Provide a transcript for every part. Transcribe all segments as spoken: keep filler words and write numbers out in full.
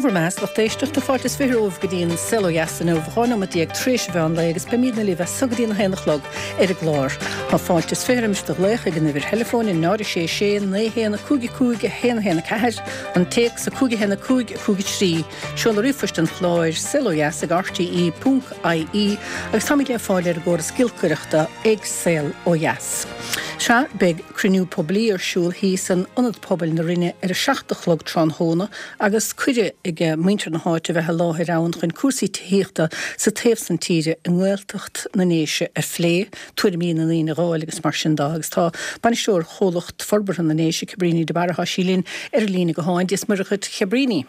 bhur mbeatha, lucht éisteachta, fáilte is fiche romhaibh go dtí an Saol Ó Dheas inniu, dhá nóiméad déag tar éis an mheán lae agus beimidne libh as so go dtí an haon a chlog ar an gclár. Tá fáilte is fiche roimis do ghlaoch ag an uimhir theileafóin náid a sé sé naoi haon a cúig a cúig a haon a haon a ceathair, an téacs a cúig a haon a cúig a cúig a trí, seoladh ríomhphoist an chláir, saol ó dheas ag rte ponc ie agus táimid le fáil ar an gcóras giolcaireachta ag Saol Ó Dheas. Sea, beidh cruinniú poiblí ar siúl thíos in Ionad Pobail na Rinne ar a seacht a chlog tráthnóna agus cuireadh ag muintir na háite a bheith i láthair ann chun cúrsaí tithíochta sa taobh san tíre i nGaeltacht na nDéise a phlé, tuairimí na ndaoine a dh'fháil agus mar sin de. Agus tá bainisteoir Chomhlacht Forbartha na nDéise, Cabríní de Barra, tá sí linn ar an líne gutháin. Dia is Muire dhuit, a Chabríní.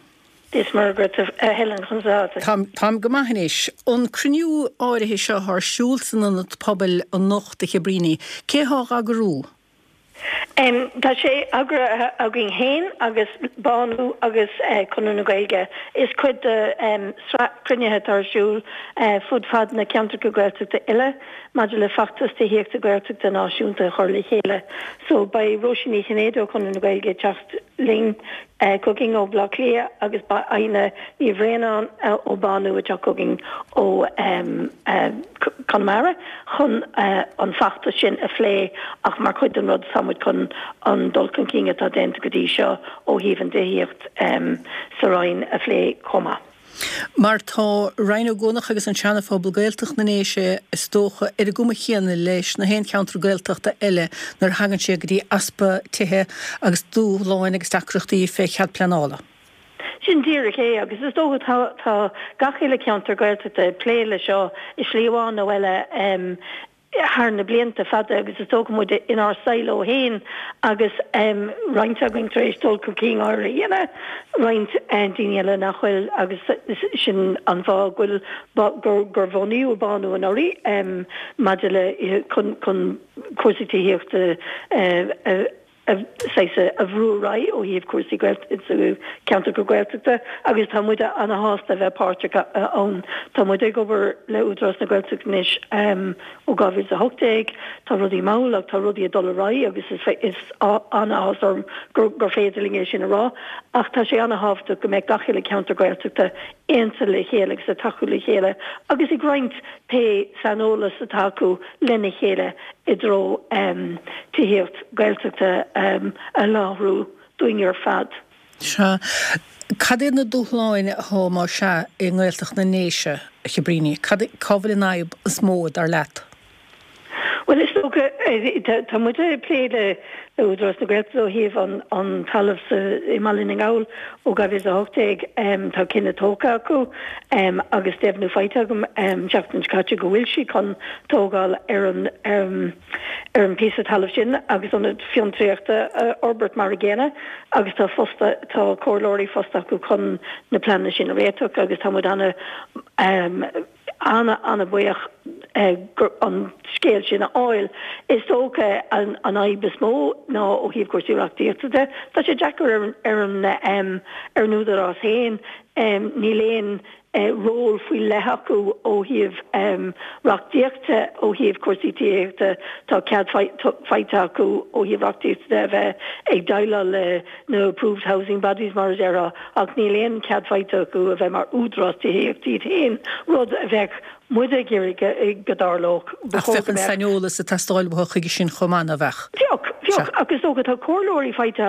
Dia is Muire dhuit, a Helen, conas atá tú? Táim, táim go maith anois. An cruinniú áirithe seo atá ar siúl san Ionad Pobail anocht, a Chabríní, cé thá á eagrú? Tá sé eagraithe againn féin agus Bánú agus Conradh na Gaeilge. Is cuid de sraith cruinnithe atá ar siúl fud fad na ceantracha Gaeltachta uile maidir le feachtas tithíochta Gaeltachta náisiúnta a chur le chéile. So beidh Róisín Ní Chinnéide ó Chonradh na Gaeilge ag teacht linn chugainn ó Bhaile Átha Cliath agus beidh Adhna Ní Bhraonáin ó Bánú ag teacht chugainn ó Conamara chun an feachtas sin a phlé ach mar chuid den rud tá muid chun an dul chun cinn atá déanta go dtí seo ó thaobh an tithíocht sa Roinn a phlé chomh maith. Mar tá Rinn Ó gCuanach agus an Seana-Phobal Gaeltacht na nDéise is dócha ar an gcuma chéanna leis na haon cheantar Gaeltachta eile nuair a thagann sé go dtí easpa tithe agus dúshláin agus deacrachtaí fé chead pleanála. Sin díreach é agus is dócha tá tá gach uile ceantar Gaeltachta ag plé le seo i slí amháin nó eile thar na blianta fada agus is dócha muid inár silo féin agus roinnt againn tar éis dul chun cinn áirithe a dhéanamh, roinnt daoine eile nach bhfuil agus sin an fáth go bhfuil gur bunaíodh Bánú anuraidh maidir le chun chun cúrsaí tithíochta a saghas a bhrú ar aghaidh ó thaobh cúrsaí sa ceantracha Gaeltachta agus tá muid ana-shásta a bheith páirteach ann. Tá muid ag obair le Údarás na Gaeltachta anois ó dhá mhíle is a hocht déag. Tá rudaí mall ach tá rudaí ag dul ar aghaidh agus is an-áthas orm gur féidir linn é sin a rá. Ach tá sé ana-thábhachtach go mbeadh gach uile ceantar Gaeltachta aontaithe le chéile agus ag tacú le chéile agus ag roinnt pé saineolas atá acu lena chéile i dtreo tithíocht Gaeltachta a sholáthar dúinn ar fad. Sea. Cad iad na dúshláin atá, más ea, i nGaeltacht na nDéise, a Chabríní? Cad, cá bhfuil an fhadhb is mó, dar leat? Bhuel, is dócha, tá muid ag plé le Údarás na Gaeltachta ó thaobh an talamh sa i mBaile na nGall ó dhá mhíle is a hocht déag. Tá cinneadh tógtha acu agus deimhniú faighte agam an tseachtain seo caite go bhfuil siad chun tógáil ar an ar an píosa talaimh sin agus ionad fiontraíochta a fhorbairt mar a gcéanna agus tá fosta tá comhairleoirí fosta acu chun na pleananna sin a réiteach agus tá muid ana ana-ana-bhuíoch an scéal sin a fháil. Is dócha an fhadhb is mó ná ó thaobh cúrsaí reachtaíochta de. Tá sé deacair ar an ar an Údarás féin. Níl aon ról faoi leith acu ó thaobh reachtaíochta, ó thaobh cúrsaí tithíochta. Tá cead faighte acu ó thaobh reachtaíochta de a bheith ag déileáil le na approved housing bodies mar a déarfá, ach níl aon chead faighte acu a bheith mar údarás tithíochta iad féin, rud a bheadh muid ag iarraidh go dtarlódh. Ba Ach chóir bheadh go an mbeadh. saineolas ag teastáil uathu chuige sin chomh maith, ná beadh? Bheadh, bheadh, ach is dócha tá comhairleoirí faighte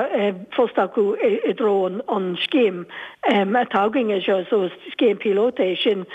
fosta acu i dtreo an an scéim atá againn anseo, so is scéim píolóta é sin.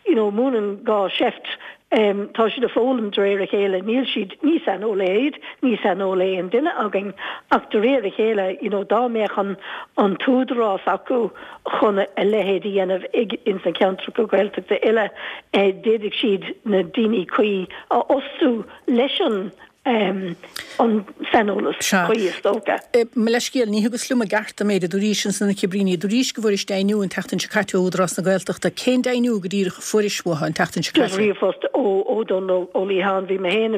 You know, múineann gá seift. Tá siad ag foghlaim de réir a chéile. Níl siad, ní saineolaithe iad, ní saineolaí aon duine againn, ach de réir a chéile, you know, dá mbeadh an an t-údarás acu chun a leithéid a dhéanamh ag ins na ceantracha Gaeltachta uile, d'fhéadfadh siad na daoine cuí a fhostú leis an an saineolas cuí, is dócha. Mo leithscéal, ní thugas liom i gceart an méid a dúraís ansan a Chabríní. Dúraís go bhfuairis deimhniú an tseachtain seo caite ó Údarás na Gaeltachta. Cén deimhniú go díreach a fuairis uathu an tseachtain seo caite? Ríomhphost ó Dónal Ó Liatháin. Bhí mé féin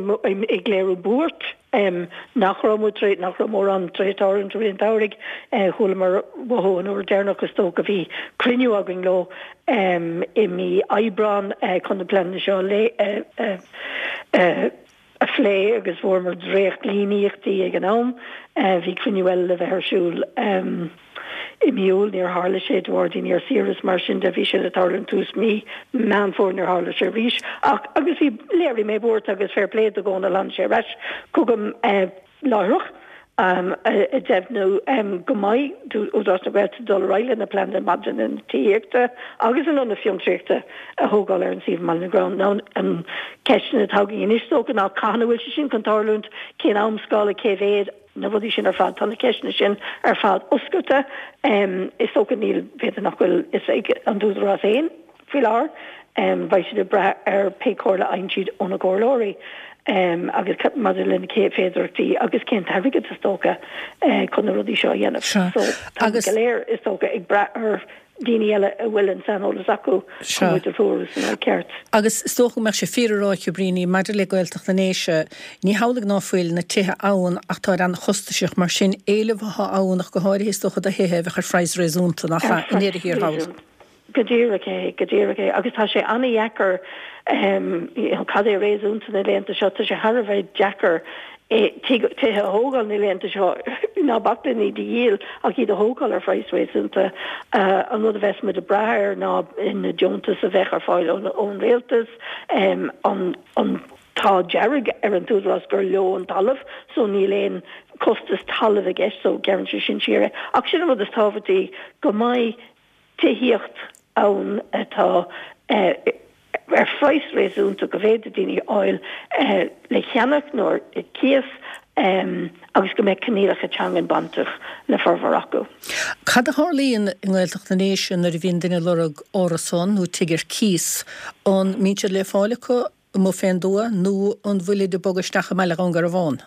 ag léiriú buairt nach raibh muid tar nach raibh mórán tar éis tarlúint i rith an tsamhraidh. Chualamar uathu an uair deireanach is dócha bhí cruinniú againn leo i mí Aibreán chun na pleananna seo a a phlé agus fuaireamar dréachtlíníochtaí ag an am. Bhí cruinniú eile le bheith ar siúl I mí Iúil níor tharla sé de bharr daoine ar saoire is mar sin de, bhí sé le tarlúint tús mí Meán Fómhair níor tharla sé arís ach agus bhí léirigh mé buairt agus fair play do Dhónal tháinig sé ar ais chugam láithreach ag deimhniú go mbeidh Údarás na Gaeltachta ag dul ar aghaidh lena pleananna maidir le na tithíochta agus an ionad fiontraíochta a thógáil ar an suíomh i mBaile na gCrann. Now an ceisteanna atá againn anois is dócha ná cathain a bhfuil sé sin chun tarlúint, cén amscála, cé mhéad, na rudaí sin ar fad, tá na ceisteanna sin ar fad oscailte. Is dócha níl, b'fhéidir nach bhfuil fhios ag an t-údarás féin faoi láthair. Beidh siad ag brath ar pé comhairle a fhaigheann siad óna gcomhairleoirí agus maidir le na féidearthachtaí agus cén t-airgead is dócha chun na rudaí seo a dhéanamh. So tá muid go léir is dócha ag brath ar daoine eile a bhfuil an saineolas acu chun muid a threorú san áit ceart. Agus is dócha go mbeadh sé fíor a rá, a Chabríní, maidir le Gaeltacht na nDéise, ní hamhlaidh ná fuil na tithe ann ach táid an-chostasach, mar sin éileamh atá ann ach go háirithe is dócha do thithe a bheadh ar phraghas réasúnta, nach ea, i ndeireadh thiar thall. Go díreach é, go díreach é. Agus tá sé an-dheacair, cad é réasúnta na laethanta seo, tá sé thar a bheith deacair tithe a thógáil na laethanta seo, ná bac linn iad a dhíol ach iad a thógáil ar phraghas réasúnta. An rud a bheas muid ag brath air ná na deontais a bheadh ar fáil ón rialtas, an an t-ádh dearg ar an t-údarás gur leo an talamh so níl aon costas talaimh i gceist so gearrann sé sin siar é. Ach sin an rud is tábhachtaí, go mbeidh tithíocht ann atá ar phraghas réasúnta go bhféadfaidh daoine a fháil le cheannach nó ar cíos agus go mbeidh coinníollacha teangan bainteach le formhór acu. Cad a tharlaíonn i nGaeltacht na nDéise nuair a bhíonn duine ag lorg árasán nó tigh ar cíos? An mbíonn siad le fáil acu amuigh fén dtuath nó an bhfuilid ag bogadh isteach i mbaile Dhún Garbhán?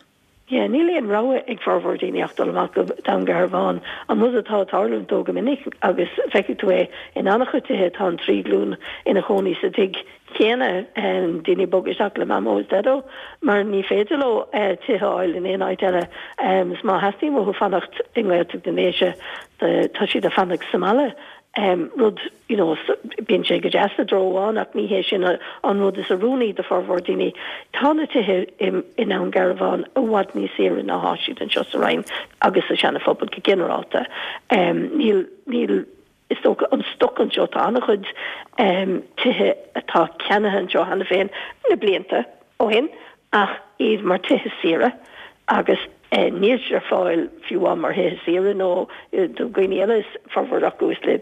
Yeah, níl aon rogha ag formhór daoine ach dul amach go Dún Garbhán. An rud atá ag tarlúint dó go minic, agus feicfidh tú é in an-chuid tithe, tá an trí glúin ina chónaí sa tigh chéanna, daoine ag bogadh isteach le Mamó is Daideo, mar ní féidir leo tithe a fháil in aon áit eile. Is má theastaíonn uathu fanacht i nGaeltacht na nDéise, tá siad ag fanacht sa mbaile. Rud, you know, bíonn sé go deas i dtreo amháin ach ní hé sin an rud is oiriúnaí do formhór daoine. Tá na tithe i nDún Garbhán i bhfad níos saoire ná atá siad anseo sa Rinn agus sa Seana Phobal go ginearálta. Níl, níl, is dócha, an stoc anseo, tá an-chuid tithe atá ceannaithe anseo cheana féin na blianta ó shin ach iad mar tithe saoire agus níl siad ar fáil fiú amháin mar thithe saoire nó do dhaoine eile, is formhór acu is le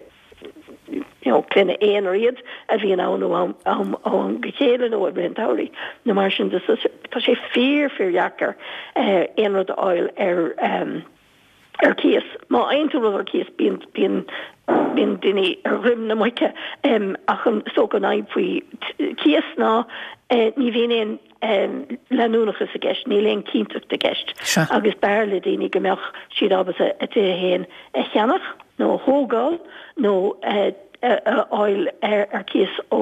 you know clainne aonair iad a bhíonn ann ó am ó am go chéile nó i rith an tsamhraidh nó mar sin de. So tá sé fíor fíor dheacair aon rud a fháil ar ar cíos. Má fhaigheann tú rud ar cíos bíonn bíonn bíonn daoine ar dhroim na muice ach an is dócha an fhadhb faoi cíos ná ní bhíonn aon leanúnachas i gceist, níl aon chinnteacht i gceist agus b'fhearr le daoine go mbeadh siad ábalta a dtithe féin a cheannach nó a thógáil nó a fháil ar cíos ó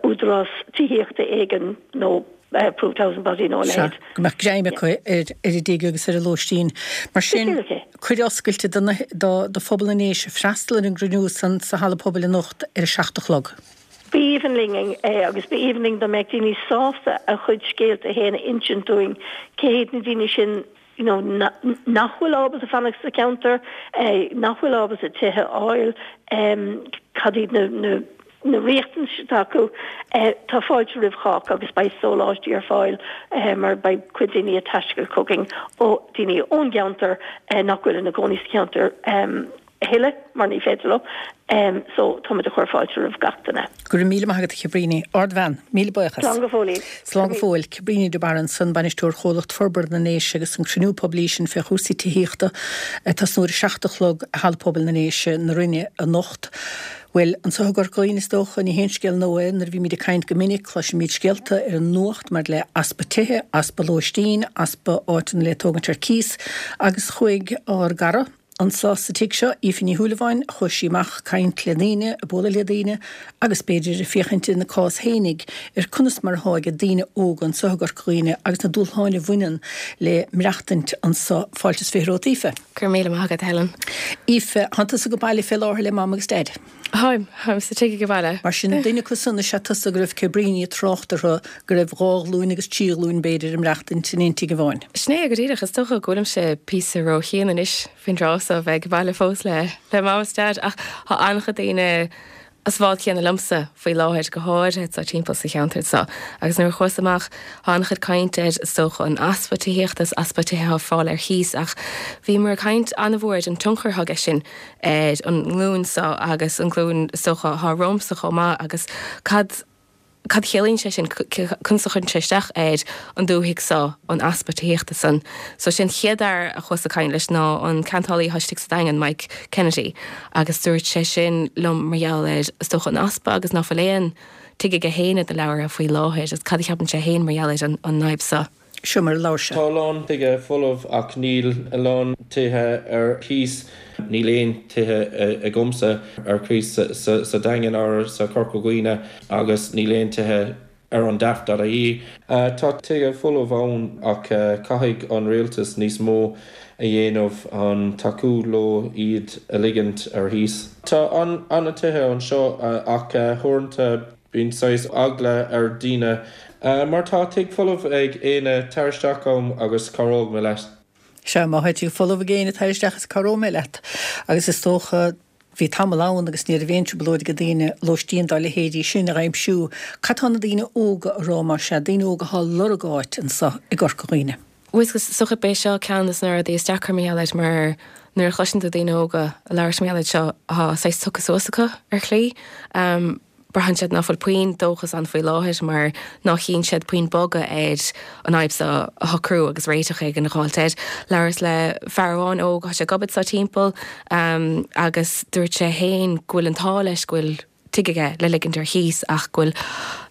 údarás tithíochta éigin nó Approved Housing Body nó a leithéid. Go mbeadh greim acu ar a dtigh agus ar a lóistín. Mar sin, cuireadh oscailte do phobal na nDéise freastal ar an gcruinniú san sa Halla Pobail anocht ar a seacht a chlog. B'aoibhinn linn é agus b'aoibhinn linn dá mbeadh daoine sásta a chuid scéalta féin a insint dúinn, cé hiad na daoine sin you know nach bhfuil ábalta fanacht sa cheantar, nach bhfuil ábalta tithe a fháil, cad iad na na na riachtanais atá acu. Tá fáilte roimh chách agus beidh sóláistí ar fáil mar beidh cuid daoine ag taisteal chugainn ó daoine ón gceantar nach bhfuil ina gcónaí sa cheantar a thuilleadh mar ní féidir leo. So táimid ag cur fáilte roimh gach duine. Go raibh míle maith agat a Chabríní. Ardbhean. Míle buíochas. Slán go fóill. Slán go fóill. Cabríní de Barra ansan, Bainisteoir Chomhlacht Forbartha na nDéise agus an cruinniú poiblí sin fé chúrsaí tithíochta ag tosnú ar a seacht a chlog i Halla Pobail na nDéise na Rinne anocht. Bhuel, anseo i gCorca Dhuibhne is dócha, ní haon scéal nua é, nuair a bhímid ag caint go minic, cloisimid scéalta ar an nuacht maidir le easpa tithe, easpa lóistín, easpa áiteanna le tógaint ar cíos, agus chuaigh ár gcara anseo sa tigh seo, Aoife Ní Shúilleabháin, chuaigh sí amach ag caint le daoine, ag bualadh le daoine, agus b'fhéidir ag féachaint ina cás fhéinig ar conas mar atá ag daoine óga anseo i gCorca Dhuibhne agus na dúshláin a bhaineann le maireachtaint anseo. Fáilte is fiche romhat, Aoife. Go raibh míle maith agat, Helen. Aoife, tánn tusa go baile fé láthair le Mam agus Daid. Táim, táim sa tigh ag baile. Mar sin duine acu san is ea tusa go raibh Cabríní ag trácht orthu go raibh dhá ghlúin agus trí ghlúin b'fhéidir ag maireachtaint in aon tigh amháin. Sin é go díreach is dócha go bhfuilimse píosa róshean anois faoin dtráth so bheith ag baile fós le le mam is dad ach tá an-chuid daoine sa bhád céanna liomsa faoi láthair go háirithe sa timpeall sa cheantar seo. Agus nuair a chuas amach tá an-chuid caint ar is dócha an easpa tithíochta is easpa tithe ar fáil ar chíos ach bhíomar ag caint an-mhór ar an tionchar atá aige sin ar an nglúin seo agus an glúin is dócha atá romhamsa chomh maith agus cad Cad chiallaíonn sé sin conas a chuireann sé isteach ar an dúthaigh seo an easpa tithíochta san. So sin chéad fhear a chuas ag caint leis ná an ceantálaí atá istigh sa Daingean, Mike Kennedy, agus dúirt sé sin liom mar gheall ar is dócha an easpa agus ná fuil aon tigh aige féin ar na leabhra faoi láthair agus cad a cheapann sé féin mar gheall ar an an fhadhb seo. Seo mar a labhair sé. Tá a lán tithe folamh ach níl a lán tithe ar cíos. Níl aon tithe agamsa ar cíos sa Daingean or sa Corca Dhuibhne agus níl aon tithe ar an daft dot ie. Tá tithe folamh ann ach caithfidh an rialtas níos mó a dhéanamh an tacú leo iad a ligint ar chíos. Tá an-tithe anseo ach uaireanta bíonn saghas eagla ar daoine mar tá tigh folamh ag éinne tar isteach chugam agus cabhróidh mé leat. Sea, má tá tigh folamh ag éinne tar isteach is cabhróidh mé leat. Agus is dócha, bhí tamall ann agus ní raibh aon trioblóid ag daoine lóistín dá leithéidí sin a aimsiú. Cad tá na daoine óga a rá mar sea, daoine óga atá ag lorg áit anseo i gCorca Dhuibhne? Bhuel is dócha b'é seo ceann de na rudaí is deacra mar gheall air mar nuair a chloiseann tú daoine óga ag labhairt mar gheall air seo tá saghas tugtha suas acu ar shlí. Braitheann siad ná fuil puinn dóchas ann faoi láthair mar ná chíonn siad puinn bogadh ar an fhadhb seo a shocrú agus réiteach éigin a dh'fháilt air. Labhras le fear amháin óg, tá sé ag obair anseo timpeall agus dúirt sé féin go bhfuil an t-ádh leis go bhfuil tigh aige le ligint ar chíos ach go bhfuil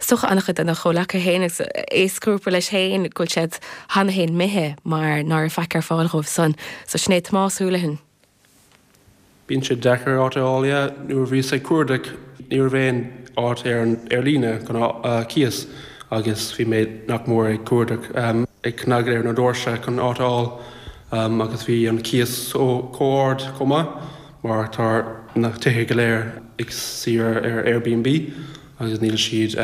is dócha an-chuid dena chomhleacaithe féin agus aoisghrúpa leis féin go bhfuil siad cheana féin imithe mar ná raibh faic ar fáil dhóibh san. So sin é Tomás Houlihan. Bíonn sé deacair áit a fháil yeah. Nuair a bhíos ag cuardach ní raibh aon áit ar an ar líne chun cíos agus bhí mé nach mór ag cuardach ag cnagadh ar na doirse chun áit a fháil agus bhí an cíos chomh ard chomh maith mar tá na tithe go léir ag saor ar Airbnb agus níl siad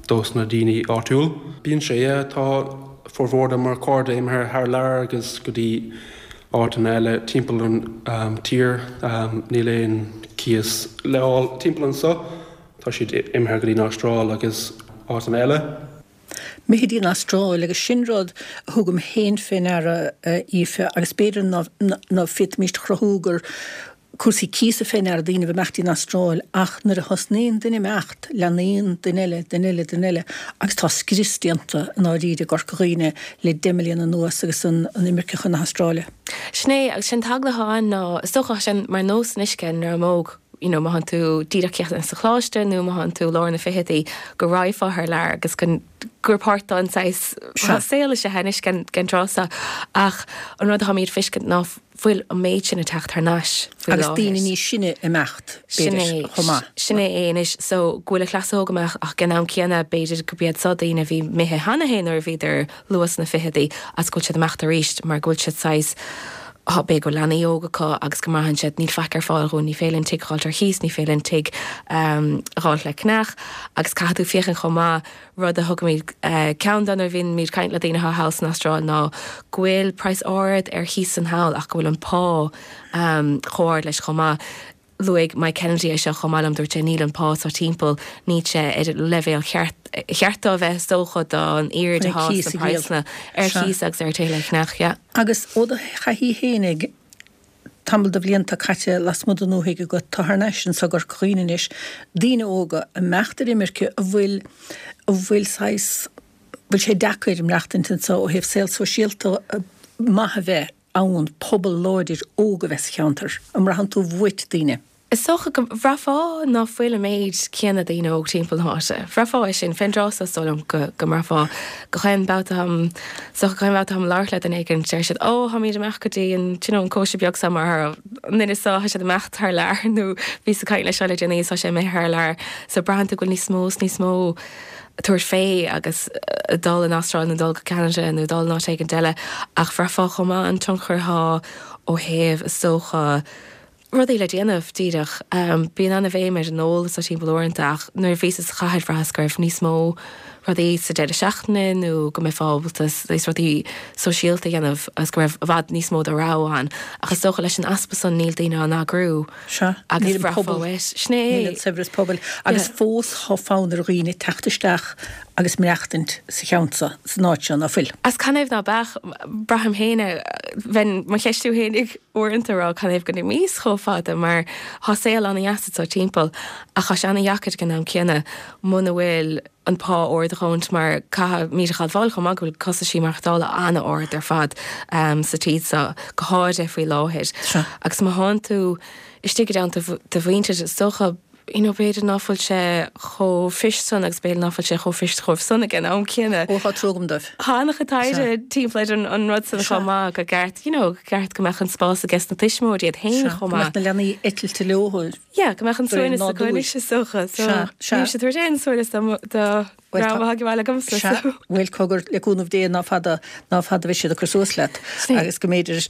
dos na daoine áitiúil. Bíonn sé yeah tá formhór de mo chairde imithe thar lear agus go dtí áiteanna eile timpeall an tír. Níl aon cíos le fháil timpeall anseo. Tá siad imithe go dtí an Astráil agus áiteanna eile. Imithe go dtí an Astráil agus sin rud a thugaim féin fé ndeara, Aoife, agus b'fhéidir ná féadfaimíst a chruthú gur cúrsaí cíosa fé ndeara daoine a bheith imeacht dtí'n Astráil ach nuair a thosnaíonn duine imeacht, leanaíonn duine eile, duine eile, duine eile agus tá scrios déanta i ndáiríre i gCorca Dhuibhne le deich mbliana anuas agus an imirce chun na hAstráile. Sin é, agus sin an t-eagla atá ann ná is dócha sin mar nós anois ag an ndream óg, you know, má thánn tú díreach críochnaithe sa choláiste nó má thánn tú lár na fichidí go raghfá thar lear agus go gur páirt den saghas saol is ea é anois den tráth seo ach an rud atáimid ag feiscint ná fuil an méid sin ag teacht thar n-ais faoi Agus daoine níos sine ag imeacht, b'fhéidir, chomh maith. Sin é é anois so go bhfuil an chleas óg ag imeacht ach ag an am céanna b'fhéidir go b'iad seo daoine a bhí imithe cheana féin nuair a bhíodar luath sna fichidí agus go bhfuil siad ag imeacht arís mar go bhfuil siad saghas b'fhéidir go bhfuil leanaí óga acu agus go mbraitheann siad níl faic ar fáil dhúinn, ní féidir linn tigh a dh'fháilt ar chíos, ní féidir linn tigh a dh'fháilt le ceannach agus caithfidh tú féachaint chomh maith rud a thugaimid ceann de nuair a bhímid ag caint le daoine atá thall san Astráil ná go bhfuil praghas ard ar chíos san thall ach go bhfuil an pá chomh ard leis chomh maith. Luaigh Mike Kennedy é seo chomh maith liom, dúirt sé níl an pá seo timpeall, níl sé ar an leibhéal cheart, cheart dó a bheith is dócha don airde atá sna praghsanna ar chíos agus ar tithe le ceannach, yeah. Agus ó do thaithí fhéinig, tamall de bhlianta caite lasmuigh den ndúthaigh agat, tá thar n-ais anso i gCorca Dhuibhne anois, daoine óga ag imeacht ar imirce a bhfuil, a bhfuil saghas, bhfuil sé deacair maireachtaint anso ó thaobh saol sóisialta maith a bheith ann pobal láidir óg a bheith sa cheantar. An mbraitheann tú uait daoine? Is dócha go mbraithfeá ná fuil an méid céanna daoine óg timpeall na háite. Bhraithfeá é sin fén dtráth so is dóigh liom go go mbraithfeá. Gach aon babhta atáim is dócha gach aon babhta atáim ag labhairt le duine éigin deir siad 'Ó táimid ag imeacht go dtí an do you know an cóisir beag so mar an duine so tá siad ag imeacht thar lear nó bhíos ag caint leis seo le déanaí is tá sé imithe thar lear. So braitheann tú go bhfuil níos mó is níos mó tabhairt fé agus dul an Astráil nó dul go Ceanada nó dul in áit éigin eile ach bhraithfeá chomh maith an tionchar atá ó thaobh is dócha rudaí le déanamh díreach. Bíonn an-bhéim ar an ól sa timpeall uaireanta ach nuair a bhíos sa chathair bhraitheas go raibh níos mó rudaí sa deireadh seachtaine nó go mbeifeá ábalta saghas rudaí sóisialta a dhéanamh agus go raibh i bhfad níos mó de rogha ann. Ach is dócha leis an easpa san níl daoine á n-eagrú Sea, agus níl an bhraithfeá pobal, uait. Sin é. níl an saibhreas pobail agus fós tá fonn ar dhaoine teacht isteach agus maireachtaint sa cheantar seo, san áit seo, ná fuil? As canathaobh ná beadh, braithim féin, bheinn mo cheistiú fhéinig uaireanta a rá canathaobh go n-imíos chomh fada mar thá saol ana-dheas anso timpeall ach thá sé ana-dheacair ag an am céanna muna bhfuil an pá ard a dhóthaint mar caithfimid a admháil chomh maith go bhfuil costaisí maireachtála ana-ard ar fad sa tír seo, go háirithe faoi láthair. Agus má thánn tú istigh i dteannta do mhuintir is dócha you know, b'fhéidir ná fuil sé chomh fuirist san agus b'fhéidir ná fuil sé chomh fuirist chomh san ag an am céanna. Ó, tá trua agam dóibh. Tá an-chuid taighde timpeall ar an, an rud san chomh maith, go gceart, you know, go ceart go mbeadh an spás aige na tuismitheoirí iad féin chomh maith. Go mbeadh na leanaí eitilte leo. Yeah, go mbeadh an suaimhneas acu anois is dócha. So, níl siad tabhairt aon suaimhneas do dream atá ag baile agamsa. Sea, bhuel, cogar, le cúnamh Dé ná fada, ná fada a bheidh siad ag cur suas leat agus go mb'fhéidir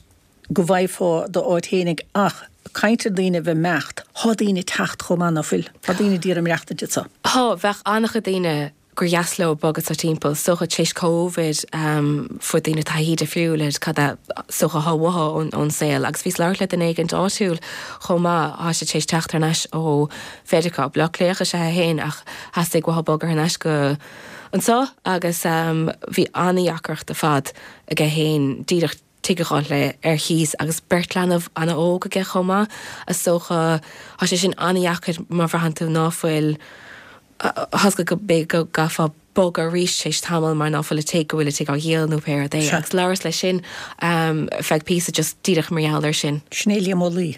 go bhfaighfeá d'áit fhéinig ach caint ar daoine a bheith imeacht, thá daoine ag teacht chomh maith ná fuil? Tá daoine d'iarraidh maireachtaint anso. Thá, bheadh an-chuid daoine gur dheas leo bogadh anso timpeall, is dócha tar éis Covid fuair daoine taithí difriúil ar cad é is dócha athá uathu ón saol agus bhíos ag labhairt le duine éigint áitiúil chomh maith, thá sé tar éis teacht thar n-ais ó Mheiriceá, Baile Átha Cliathach is ea é féin ach theastaigh uathu bogadh thar n-ais go anso agus bhí an-dheacracht ar fad aige féin díreach tigh a dh'fháil le ar chíos agus beirt leanbh ana-óg aige chomh maith, is dócha. Tá sé sin ana-dheacair má bhraitheann tú ná fuil, tá's agat go b'fhéidir go gcaithfeá bogadh arís tar éis tamaill mar ná fuil an tigh, go bhfuil an tigh á dhíol nó pé rud é. Agus labhras leis sin feadh píosa just díreach mar gheall air sin. Sin é Liam Ó Laoi.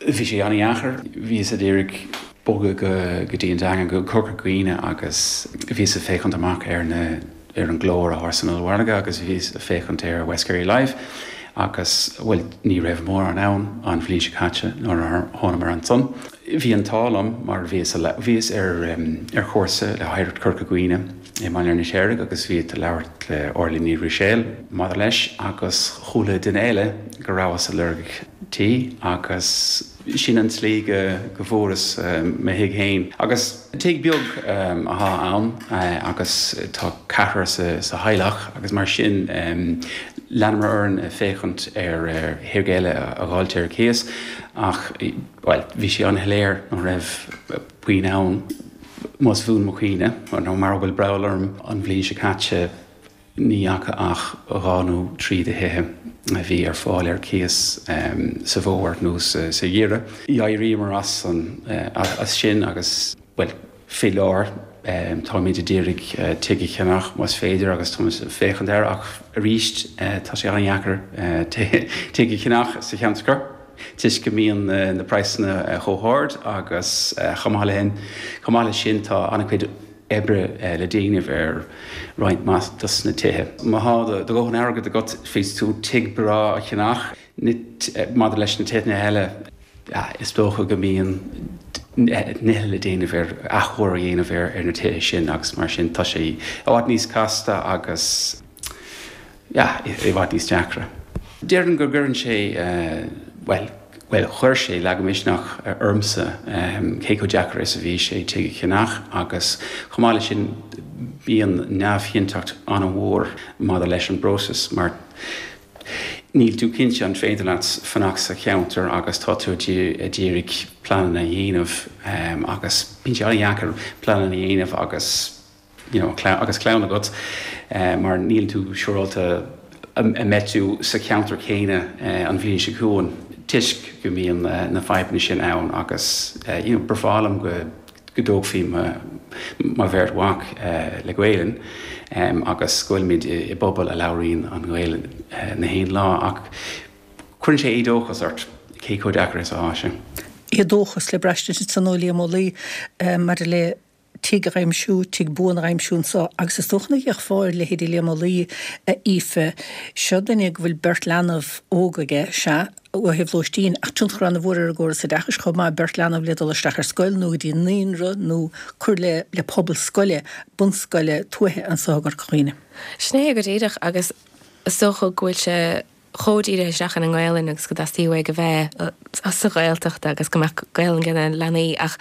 Bhí sé an-dheacair. Bhíos ag iarraidh bogadh go dtí an Daingean, go Corca Dhuibhne agus bhíos ag féachaint amach ar na ar an gclár atá san ollmhargadh agus bhíos ag féachaint ar West Kerry Live agus, bhuel, ní raibh mórán ann an bhliain seo caite nuair a thánamar ansan. Bhí an t-ádh liom mar bhíos bhíos ar ar chúrsa le hOidhreacht Chorca Dhuibhne i mBaile an Fheirtéaraigh agus bhíos ag labhairt le Orla Ní Ruiséil maidir leis agus chuala duine eile go rabhas ag lorg tí agus sin an tslí go go bhfuaireas mo thigh féin. Agus tigh beag athá ann agus tá ceathrar sa sa theaghlach agus mar sin leanamar orainn ag féachaint ar thigh eile a dh'fháilt ar cíos ach bhuel bhí sé an-shoiléir nach raibh puinn ann más buan mo chuimhne nó mara bhfuil breall orm an bhliain seo caite ní fhaca ach dhá nó trí de thithe a bhí ar fáil ar cíos sa bhfómhar nó sa gheimhreadh. D'éiríomar as an as sin agus bhuel faoi láthair táimid ag iarraidh tigh a cheannach más féidir agus táimid ag féachaint air ach arís tá sé an-dheacair tigh a cheannach sa cheantar toisc go mbíonn na praghsanna chomh hard agus chomh maith le chomh maith leis sin tá an-chuid oibre le déanamh ar roinnt mhaith dos na tithe. Má thá do dhóthain airgid agat féadfaidh tú tigh breá a cheannach. Maidir leis na tithe eile is dócha go mbíonn nithe le déanamh ar athchóiriú a dhéanamh ar na tithe sin agus mar sin tá sé i bhfad níos casta agus yeah i bhfad níos deacra. Déarfainn go gcuireann sé, bhuel, bhuel chuir sé lagmhisneach ormsa cé chomh deacair is a bhí sé tigh a cheannach agus chomh maith leis sin bíonn neamhchinnteacht an-mhór maidir leis an bpróiseas mar níl tú cinnte an féidir leat fanacht sa cheantar agus tá tú ag iarraidh pleananna a dhéanamh agus bíonn sé an-dheacair pleananna a dhéanamh agus you know agus clann agat mar níl tú siúráilte an mbeidh tú sa cheantar céanna an bhliain seo chugainn toisc go mbíonn na fadhbanna sin ann agus you know ba bhreá liom go go dtógfaí mo bheirt mhac le Gaelainn agus go bhfuilimid i bpobal a labhraíonn an Ghaelainn na haon lá ach cuireann sé éadóchas ort cé chomh deacair is atá sé. Éadóchas le braistint ansan ó Liam Ó Laoi maidir le tigh a aimsiú, tigh buan a aimsiú anso agus is dócha nach bhféadfá ar leithéidí Liam Ó Laoi, a Aoife. Seo duine go bhfuil beirt leanbh óg aige, sea, ó thaobh lóistín, ach tionchar an-mhór ar an gcóras oideachais chomh maith, beirt leanbh le dul isteach ar scoil nó go dtí naíonra nó cur le le pobal scoile, bunscoile tuaithe anso i gCorca Dhuibhne. Sin é go díreach agus is dócha go bhfuil sé chomh dírithe isteach ina nGaelainn agus go dteastaíonn uaidh a bheith sa Ghaeltacht agus go mbeadh Gaelainn ag na leanaí ach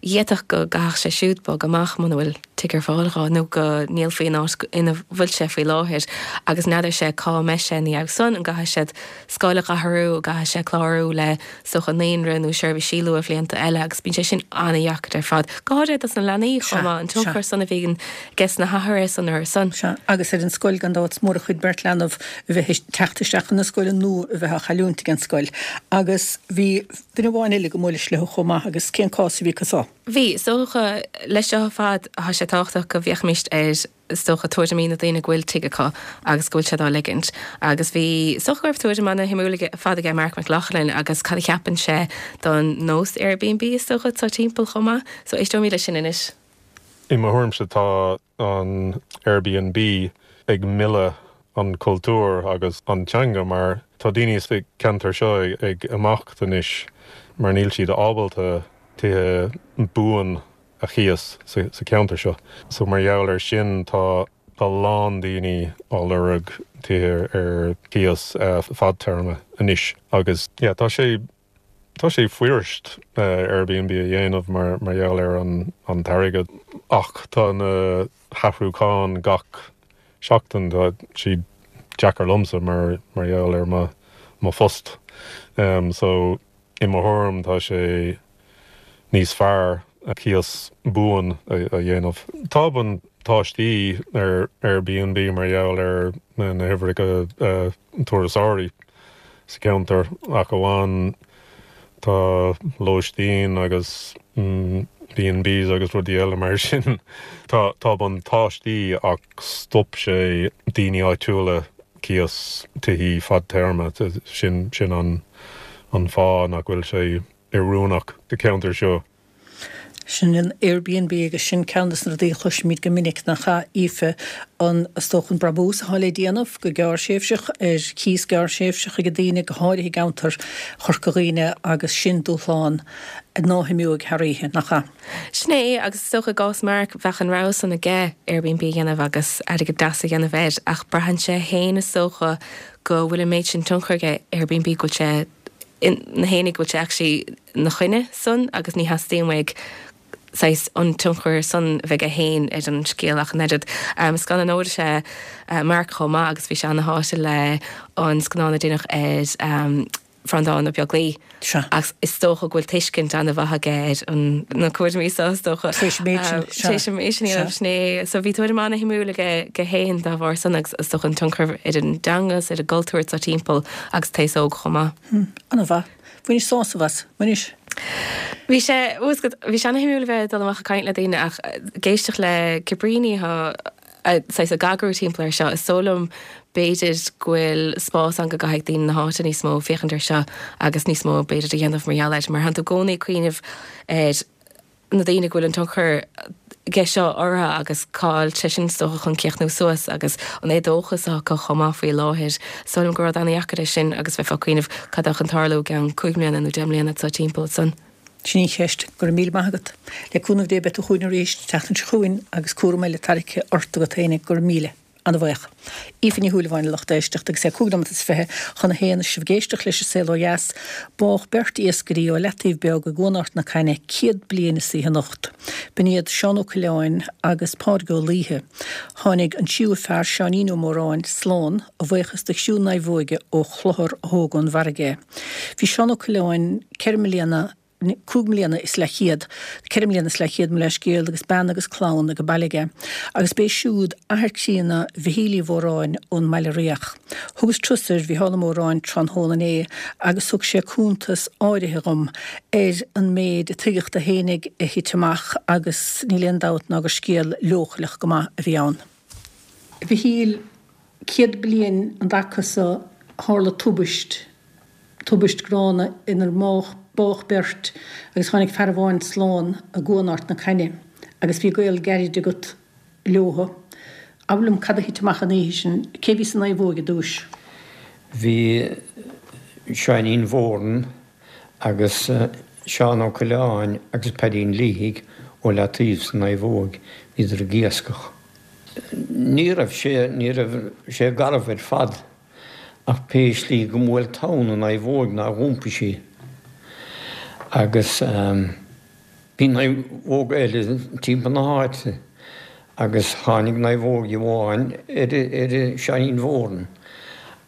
d'fhéadfadh go gcaithfeadh sé siúd bogadh amach muna bhfuil tigh ar fáil dhó nó go ndíolfaí an áit ina bhfuil sé faoi láthair agus n'fheadar sé cá mbeidh sé ina dhiaidh san, an gcaithfidh siad scoil a athrú, an gcaithfidh sé clárú le is dócha naíonra nó seirbhísí luathbhlianta eile agus bíonn sé sin an-dheacair ar fad, go háirithe dos na leanaí chomh maith, an tionchar san a bhíonn aige na hathruithe san orthu san. Sea, agus ar an scoil gan dabht, is mór an chuid beirt leanbh a bheith ag teacht isteach chun na scoile nó a bheith á chailliúint ag an scoil. Agus bhí duine amháin eile go mbuailis leo chomh maith agus cén cás a bhí acu so? Bhí, is dócha, leis seo ar fad tá sé tábhachtach go bhféachfaimíst ar is dócha tuairimí na daoine go bhfuil tigh acu agus go bhfuil siad á ligint. Agus bhí, is dócha go raibh tuairim ana-shuimiúil ar fad aige Marc Mac Lochlainn agus cad a cheapann sé don nós Airbnb is dócha atá timpeall chomh maith. So éisteoimid leis sin anois. I mo thuairimse tá an Airbnb ag milleadh an cultúr agus an teanga mar tá daoine sa ceantar seo ag imeacht anois mar níl siad ábalta tithe buan a chíos sa ceantar seo. So mar gheall ar sin tá a lán daoine á lorg tithe ar cíos fadtéarma anois agus yeah tá sé tá sé fuirist Airbnb a dhéanamh mar mar gheall ar an an t-airgead ach tá na hathrúcháin gach seachtain tá siad deacair liomsa mar mar gheall ar mo mo phost. Um, so i mo thuairim tá sé níos fearr cíos buan a, a dhéanamh. Tá buntáistí ar Airbnb mar gheall ar na, na huimhreacha uh, turasóirí sa ceantar ach amháin tá lóistín agus mm, B&Bs agus rudaí eile mar sin. Tá tá buntáistí ach stop sé daoine áitiúla cíos tithe fadtéarma sin sin an an fáth nach bhfuil sé oiriúnach do ceantar seo. Sin an Airbnb agus sin ceann de na rudaí a chloisimid go minic nach ea Aoife an is dócha an brabús atá le déanamh go gearrthréimhseach ar chíos gearrthréimhseach ag daoine go háirithe i gceantar Chorca Dhuibhne agus sin dúshlán ná himeoidh thar oíche nach ea. Sin é agus is dócha i gcás Mark bheadh an rogha san aige Airbnb a dhéanamh agus airgead deas a dhéanamh air ach braitheann sé féin is dócha go bhfuil an méid sin tionchar aige Airbnb go bhfuil sé na héine go bhfuil sé actually na choinne san agus ní theastaíonn uaidh saghas an tionchar san bheith aige féin ar an scéal ach an oiread. Um, Scannánóir is ea uh, Mark chomh maith agus bhí sé ana-shásta le an scannán a déanadh ar um, Breandán Ó Beaglaoich. Agus is dócha go bhfuil tuiscint an-mhaith aige ar an na cúraimí seo is dócha. Tar éis an méid sin, sea. Tar éis an méid sin a dhéanamh, sin é. So bhí tuairim ana-shuimiúil aige aige féin dá bharr san agus is dócha an tionchar ar an dteanga is ar an gcultúr atá timpeall agus an t-aos óg chomh maith. Hmm, an-mhaith. Bhainis sásamh as, bhainis? Bhí sé, bhí sé ana-shuimiúil a bheith ag dul amach ag caint le daoine ach ag éisteacht le Cabríní saghas ag eagrú timpeall air seo, is dóigh liom b'fhéidir go bhfuil spás ann go gcaithfidh daoine na háite níos mó féachaint air seo agus níos mó b'fhéidir a dhéanamh mar gheall air, mar tánn tú i gcónaí ag cuimhneamh ar na daoine go bhfuil an tionchar aige seo orthu agus cá'il sé sin is dócha chun críochnú suas agus an éadóchas acu chomh maith faoi láthair. Is dóigh liom gur rud an-dheacair é sin agus bheifeá ag cuimhneamh cad atá chun tarlú i gceann cúig mbliana nó deich mbliana atá timpeall ansan. Sin í an cheist. Go raibh míle maith agat. Le cúnamh Dé beidh tú chugainn arís an tseachtain seo chugainn agus cúram eile tarraicthe ort agat féinig. Go raibh míle. Ana-bhuíoch. Aoife Ní Shúilleabháin a lucht éisteachta agus é cúig nóiméad is fiche chun a haon is sibh ag éisteacht leis an Saol Ó Dheas. Bádh beirt iascairí ó Leataobh Beag i gCuan Ard na Caithne céad bliain is oíche anocht. B'in iad Seán Ó Coileáin agus Pádraig Ó Laoithe. Tháinig an tríú fear, Seáinín Ó Móráin, slán, a bhuíochas do chriú naomhóige ó Chlochar a thóg ón bhfarraige é. Bhí Seán Ó Coileáin ceithre mbliana cúig mbliana is leathchéad, ceithre mbliana is leathchéad, mo leithscéal, agus bean agus clann ag baile aige, agus b'é siúd athair críonna Mhichíl Uí Mhóráin ón mBaile Riach. Thugas turas ar Mhícheál Ó Móráin tráthnóna inné agus thug sé cuntas áirithe dhom ar an méid a tuigeadh dó fhéinig a thit amach agus níl aon dabht ná gur scéal leochaileach go maith a bhí ann. A Mhichíl, céad bliain an dtaca so tharla tubaist. Tubaist gránna inar bádh beirt agus tháinig fear amháin slán i gCuan Ard na Caithne agus bhí gaol gairid agat leothu. Abair liom cad a thit amach an oíche sin, cé bhí sa naomhóig i dtúis? Bhí Seáinín Mhóran agus Seán Ó Coileáin agus Paidín Liathaigh ó Leataobh sa naomhóig, bhíodar ag iascach. Ní raibh sé, ní raibh sé garbh ar fad. Ach pé slí go mbuail tonn an naomhóg nár iompaigh sí. Agus bhí naomhóga eile timpeall na háite agus tháinig naomhóg amháin ar ar Seáinín Mhóran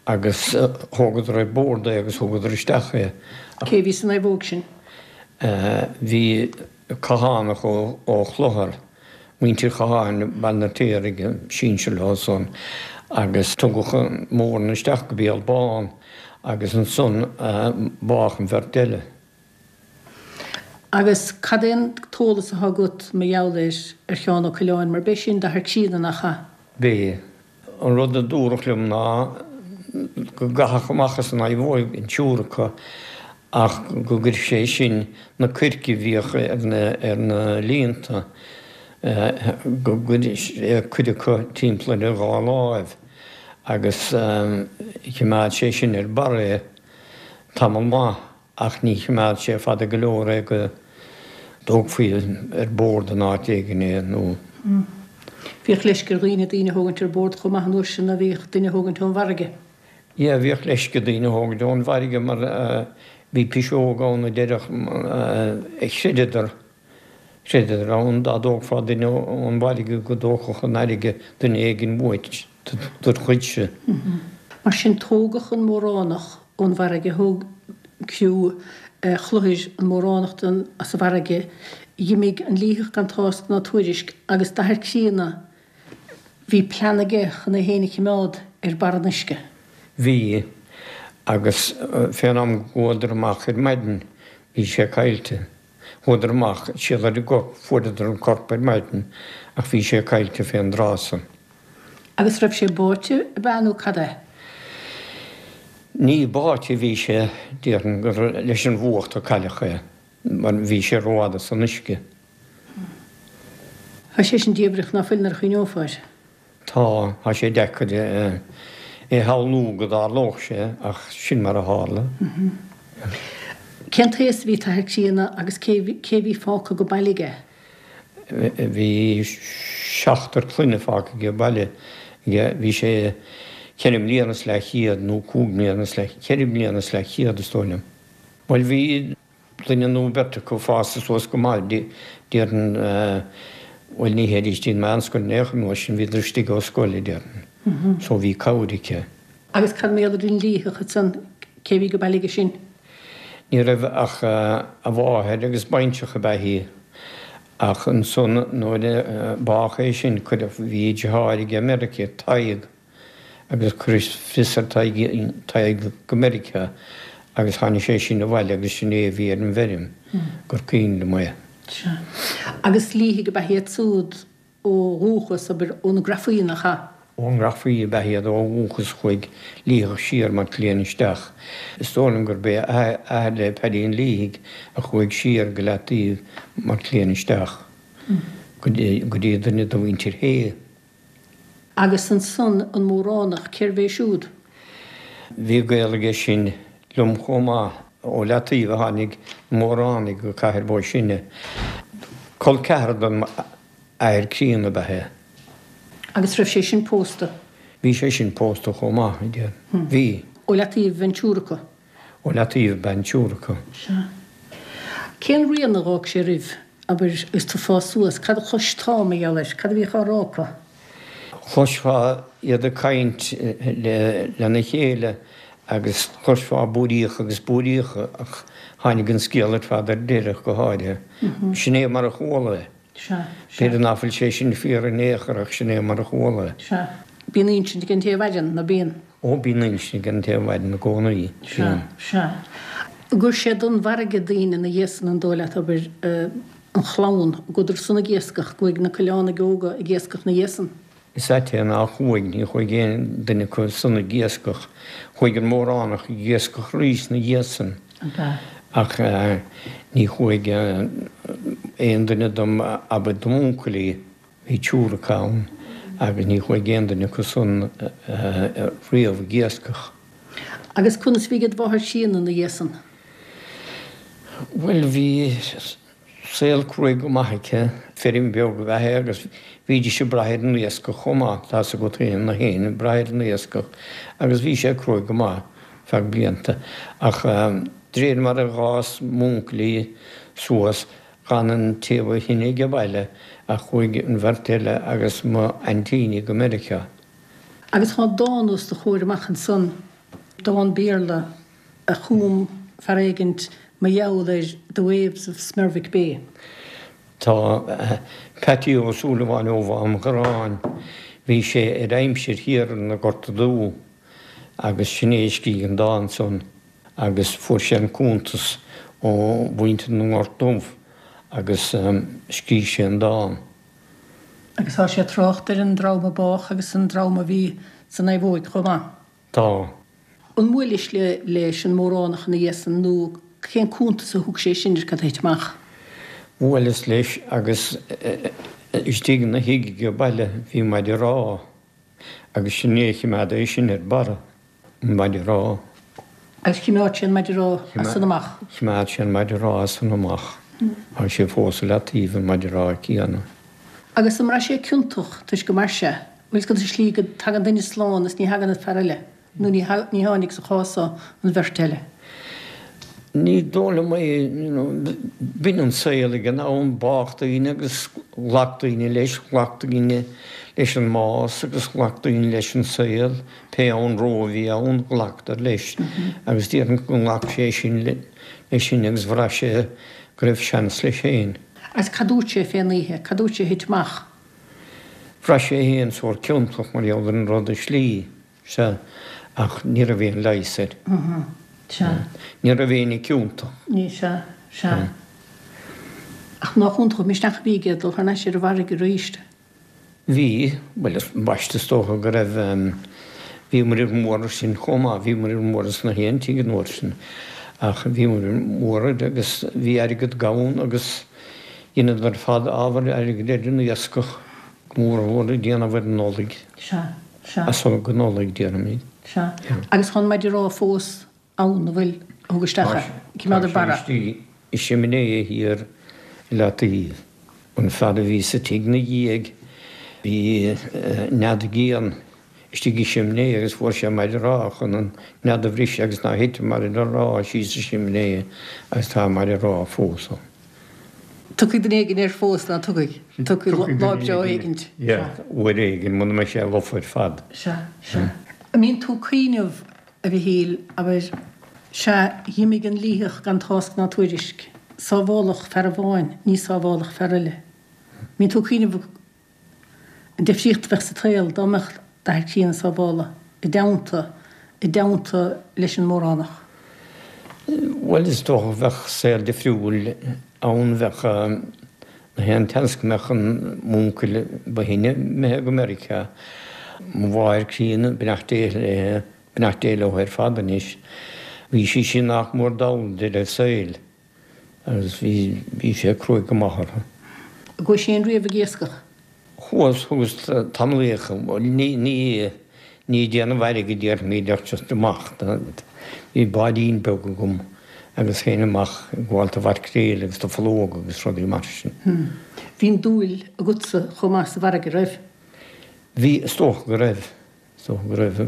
agus thógadar ar bord é agus thugadar isteach é. Cé bhí sa naomhóg sin? Bhí Cathánach ó Chlochar, muintir Chatháin, Baile an Fheirtéaraigh, sinsear leo san agus tugadh an Mórán isteach go Béal Bán agus ansan bádh an bheirt eile. Agus cad é an t-eolas atá agat mar gheall ar ar Sheán Ó Coileáin, mar b'é sin d'athair críonna, nach ea? B'é. An rud a dúradh liom ná go gcaitheadh amach as an naomhóig an triúr acu ach go gcuirfeadh sé sin na coirce a bhíodh ar na líonta, go gcuireadh sé cuid acu timpeall ar a dhá láimh agus choimeád sé sin ar barr é tamall maith ach ní choimeád sé fada go leor é go dtógfaí ar bord in áit éigin é nó. Bhíodh leisce ar dhaoine daoine a thógaint ar bord chomh maith an uair sin a bhíodh duine a thógaint ón bhfarraige. Yeah, bhíodh leisce daoine a thógaint ón bhfarraige mar bhí piseog ann a deireadh a chreideadar, chreideadar ann dá dtógfá duine ón bhfarraige go dtógfadh an fharraige duine éigin uait dod chuidse. Mar sin tógadh an Móránach ón bhfarraige, thóg criú Chlochair an Móránach den as an bhfarraige, dh'imigh an Liathach gan tásc ná tuairisc agus d'athair críonna Bhí plean aige chun é féin a chimeád ar barr an uisce. Bhí, agus fén am go gcuadar amach ar maidin bhí sé caillte. Chuadar amach, siar ar an gcorp, fuaireadar an corp ar maidin ach bhí sé caillte fén dtráth san. Agus raibh sé báite, ab ea, nó cad é? Ní báite a bhí sé, déarfainn gur leis an bhfuacht a cailleadh é, mar bhí sé rófhada san uisce. Tá sé sin diamhrach ná fuil nuair a chuimhneofá air. Tá, tá sé deacair é a shamhlú go dtarlódh sé ach sin mar a tharla. Cén t-aos a bhí ag t'athair críonna agus cé cé bhí fágtha go baile aige? Bhí seachtar clainne fágtha aige baile aige. Bhí sé ceithre mbliana is leathchéad nó cúig mbliana is leath, ceithre mbliana is leathchéad is dóigh liom. Bhuel bhí duine nó beirt acu fásta suas go maith, déarfainn, bhuel ní théidís dtí'n meánscoil in aon chor an uair sin, bhíodar istigh ó scoil, déarfainn. So bhí cabhair aici. Agus cad mar gheall ar an Liathach ansan, cé bhí go baile aige sin? Ní raibh ach a mháthair agus baintreach ab ea í. Ach ansan nuair a bádh é sin cuireadh, bhí deartháir aige i Meiriceá, Tadhg, agus cuireadh fios ar Tadhg go Meiriceá agus tháinig sé sin abhaile agus sin é a bhí ar an bhfeirm gur cuimhin liom é. Sea. Agus Liathaigh ab ea iad siúd ó dhúchas, abair, ó na Grafaí, nach ea? Ón nGrafaí ab ea iad ó dhúchas chuaigh Liathach siar Maigh Cuilinn isteach. Is dóigh liom gurb é athair le Paidín Liathaigh a chuaigh siar go Leataobh Maigh Cuilinn isteach go dtí duine de mhuintir Shé. Agus ansan an Móránach, cérbh é siúd? Bhí gaol aige sin liom chomh maith. Ó Leataobh a tháinig na Móránaigh go Cathair Bó Sine. Col ceathrar dom athair críonna ab ea é. Agus raibh sé sin pósta? Bhí sé sin pósta chomh maith, a deir. Bhí. Ó Leataobh ab ea an triúr acu? Ó Leataobh ab ea an triúr acu. Sea. Cén rian a dh'fhág sé oraibh, abair, agus tú ag fás suas? Cad a chloistá mar gheall air? Cad a bhíodh á rá acu? Chloisfeá iad ag caint lena chéile agus chloisfeá búiríocha agus búiríocha ach tháinig an scéal ar fad ar deireadh go háirithe. Sin é mar a chuala é. B'fhéidir ná fuil sé sin fíor in aon chor ach sin é mar a chuala é. Sea. Bíonn insint ag an té a mhaireann, ná bíonn? Ó, bíonn insint ag an té a mhaireann i gcónaí. Sea, sea. Gur sé don bhfarraige daoine ina dhiaidh san an dóigh leat, abair, an chlann, gcuadar san ag iascach, gcuaigh na Coileánaigh óga ag iascach ina dhiaidh san. Is ait é nár chuaigh, ní chuaigh aon duine acu san ag iascach. Chuaigh an Móránach ag iascach arís ina dhiaidh san. Ach ní chuaigh aon duine dom, abair, dom uncailí, bhí triúr acu ann, agus ní chuaigh aon duine acu san riamh ag iascach. Agus conas bhí ag do mháthair chríonna ina dhiaidh san? Bhuel, bhí. Saol cruaidh go maith aici, feirm bheag ab ea é agus bhídís ag brath ar an iascach chomh maith, tá's agat féin, na héinne ag brath ar an iascach agus bhí sé cruaidh go maith feadh blianta. Ach de réir mar a dh'fhás m'úncailí suas, d'fhan an té ba shine age baile ach chuaigh an bheirt eile agus m'aintíní go Meiriceá. Agus tá dán os do chomhair amach ansan, dán Béarla a chum fear éigint mar gheall ar The Waves of Smerwick Bay. Tá Peaití Ó Súilleabháin ó Mhám Ghráin, bhí sé ar aimsir thiar ar na Gorta Dubha agus sin é a scrígh an dán san agus fuair sé an cuntas ó mhuintir na nGort Dubh agus scrígh sé an dán. Agus tá sé ag trácht ar an dream a bádh agus an dream a bhí san naomhóig chomh maith. Tá. An mbuailis leis an Móránach ina dhiaidh san nó cén cuntas a thug sé sin ar cad a thit amach? Bhuaileas leis agus istigh ina thigh age baile bhí maide rámha agus sin é a chimeád é sin ar barra, an maide rámha. Agus chimeád sé an maide rámha as san amach? Chimeád sé an maide rámha as san amach. Tá sé fós i leataobh, an maide rámha céanna. Agus an raibh sé ciontach toisc go mair sé? Bhfuil fhios agat an slí go dtagann duine slán is ní thagann an fear eile, nó ní tháinig sa chás so an bheirt eile? Ní dóigh liom é, you know, b'in an saol ag an am, bádh daoine agus ghlac daoine leis, ghlac daoine leis an mbás agus ghlac daoine leis an saol, pé anró a bhí ann, ghlacadar leis. Agus déarfainn go nglac sé sin leis sin agus bhraith sé go raibh seans leis féin. Agus cad dúirt sé fén oíche? Cad dúirt sé a thit amach? Bhraith sé féin sórt ciontach mar gheall ar an rud i slí, sea, ach ní raibh aon leigheas air. Sea. Ní raibh éinne ciontach. Ní, sea, sea. Ach nach iontach an misneach a bhí aige dul thar n-ais ar an bhfarraige arís? Bhí, bhuel, ambaiste is dócha go raibh, bhí muirear mór air sin chomh maith, bhí muirear mór ins na haon tigh an uair sin, ach bhí muirear mór air agus bhí airgead gann agus dheineadar ar fad ábhar airgid ar an iascach, go mór mhór ag déanamh ar an Nollaig. Sea, sea. As so go Nollaig, déarfaimid. Sea. Agus tá an maide rámha fós ann, an bhfuil, a thug isteach é, cimeád ar barra. Tá sé istigh i simné thiar i leataobh. An fear a bhí sa tigh 'na dhiaidh, bhí nead d'éan istigh i simné agus fuair sé maide rámha chun an nead a bhriseadh agus nár thit an maide rámha síos sa simné agus tá an maide rámha fós ann. Tiocfaidh duine éigin air fós, ná tiocfaidh? Tiocfaidh lá breá éigint. Yeah, uair éigin, muna mbeidh sé lofa ar fad. Sea, sea. An mbíonn tú ag cuimhneamh, a Mhichíl, abair, sea, dh'imigh an Liathach gan tásc ná tuairisc, sábháladh fear amháin, ní sábháladh fear eile. An mbíonn tú ag cuimhneamh an difríocht a bheadh sa tsaol dá mbeadh d'athair críonna sábhála i dteannta, i dteannta leis an Móránach? Bhuel, is dócha bheadh saol difriúil ann, bheadh na haon tseans go mbeadh an m'uncail ba shine imithe go Meiriceá, mo mháthair críonna, beannacht Dé léi, beannacht Dé leo ar fad anois, bhí sí sin nach mór dall deireadh a saoil agus bhí, bhí sé cruaidh go maith orthu. An gcuais féin riamh ag iascach? Chuas, chuas tamallaíoch, ní, ní, ní ag déanamh airgid déarfaimid ach just amach. Bhí báidín beag agam agus théinn amach ag gabháil do mhaicréil agus do phológa agus rudaí mar sin. Bhí an dúil agatsa chomh maith sa bhfarraige, raibh? Bhí, is dócha go raibh. Is dócha go raibh,